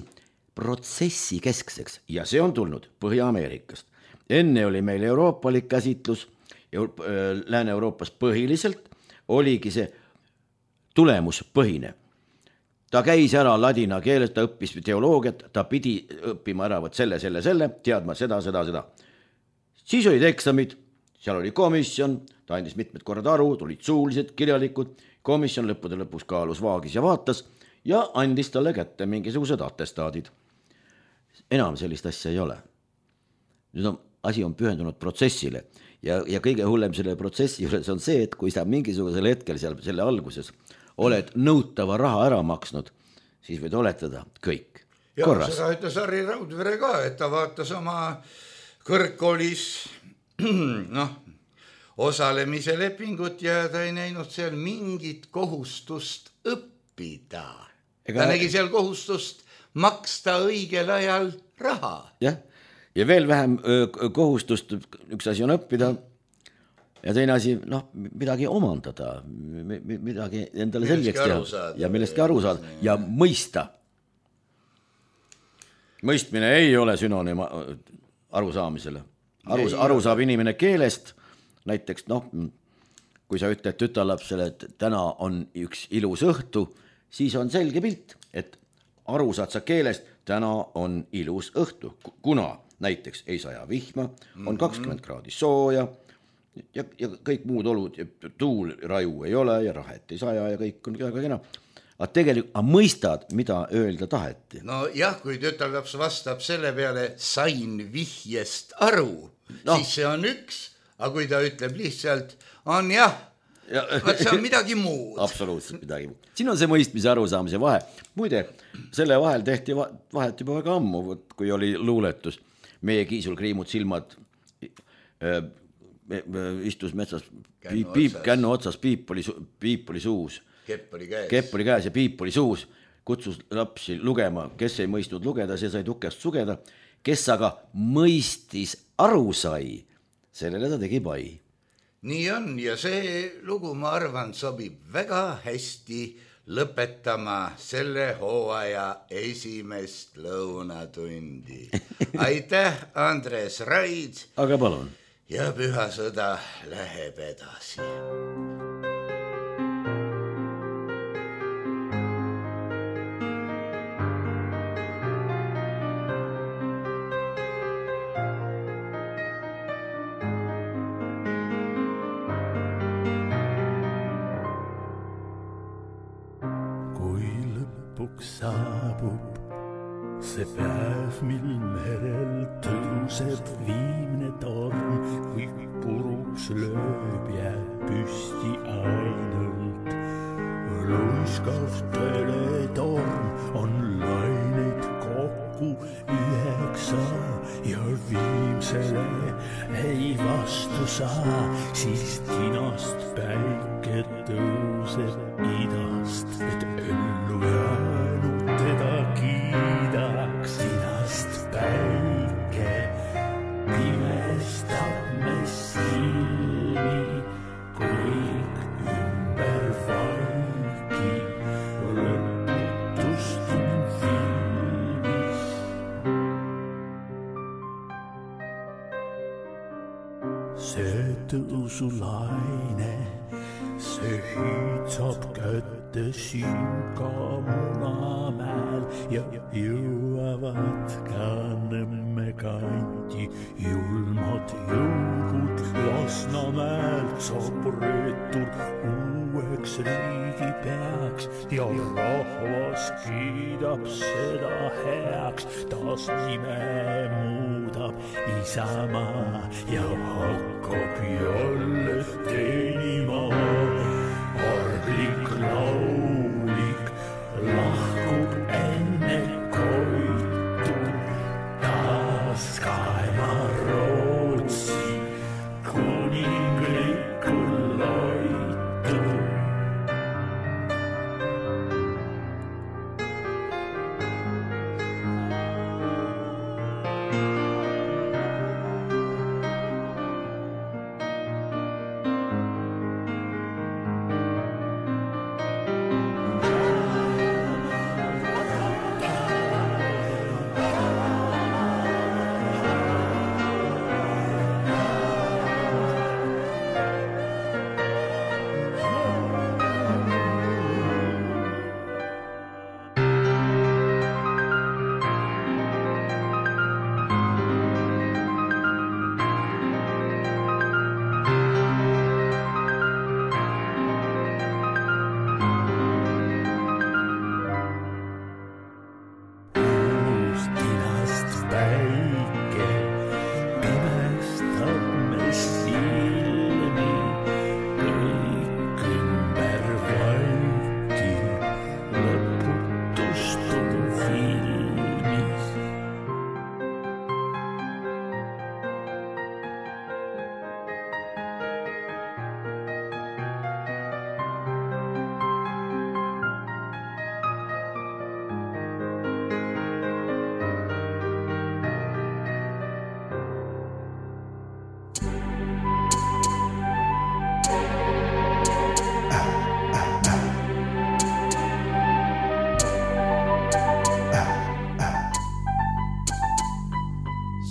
protsessi keskseks ja see on tulnud Põhja-Ameerikast. Enne oli meil euroopalik käsitlus, Lääne-Euroopas põhiliselt oligi see tulemuspõhine. Ta käis ära ladina keeles, ta õppis teoloogiat, ta pidi õppima ära selle, teadma seda. Siis olid eksamid, seal oli komisjon, ta andis mitmed korrad aru, tulid suulised, kirjalikud, komisjon lõppude lõpus kaalus vaagis ja vaatas ja andis talle kätte mingisugused atestaadid. Enam sellist asja ei ole. Nüüd asi on pühendunud protsessile ja kõige hullem selle protsessi juures on see, et kui sa mingisugusel hetkel seal selle alguses oled nõutava raha ära maksnud, siis võid oletada kõik korras. Ja seda ütles Harri Raudvere ka, et ta vaatas oma kõrgkoolis osalemise lepingut ja ta ei näinud seal mingit kohustust õppida. Ta nägi seal kohustust maksta õigel ajal raha. Ja veel vähem kohustust, üks asi on õppida ja teine asi, midagi omandada, midagi endale selgeks teha ja millestki aru saada ja mõista. Mõistmine ei ole sünonüüm arusaamisele. Aru saab inimene keelest, näiteks kui sa ütled tütarlapsele, et täna on üks ilus õhtu, siis on selge pilt, et aru saad sa keelest, täna on ilus õhtu, kuna näiteks ei saja vihma, on 20 kraadi sooja ja kõik muud olud, tuul raju ei ole ja rahet ei saja ja kõik on väga kena. Aga tegelikult mõistad, mida öelda taheti. No jah, kui tütarlaps vastab selle peale, sain vihjest aru, siis see on üks, aga kui ta ütleb lihtsalt, on jah, see on midagi muud. Absoluutselt midagi muud. Siin on see mõistmise arusaamise vahe. Muide, selle vahel tehti vahet juba väga ammu, kui oli luuletus. Meie Kiisul kriimud silmad istus metsas, kännu otsas, piip oli suus. Kepp oli käes. Kepp oli käes ja piip oli suus. kutsus lapsi lugema, kes ei mõistnud lugeda, see sai tukest sugeda, kes aga mõistis aru sai, sellele ta tegi pai. Nii on ja see lugu, ma arvan, sobib väga hästi lõpetama selle hooaja esimest lõunatundi. Aitäh, Andres Raid. Aga palun. Ja püha sõda läheb edasi. Saabub see päev, mil merel tõuseb viimne torm, kui puruks lööb jääb püsti ainult. Luiskav teletorm on laineid kokku 9 ja viimsele ei vastu saa, siis tinast päike tõuseb idast, et ellu jäänud teda kiidaks. Tinast päike pimestab me silmi, kõik ümber vaikib, lõputust on filmis. See tõusulaine, see hiitsab kätte Simka Munamäel ja jõuavad ka Nõmme kanti julmad jõugud. Lasnamäelt saab reetur uueks riigipeaks ja rahvas kiidab seda heaks. Taas nime muudab Isamaa ja hakkab jälle teenima. Arglik laulik lahkub enne koitu, taas kaema Rootsi kuninglikul loitu.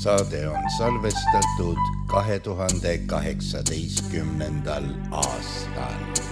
Saade on salvestatud 2018. aastal.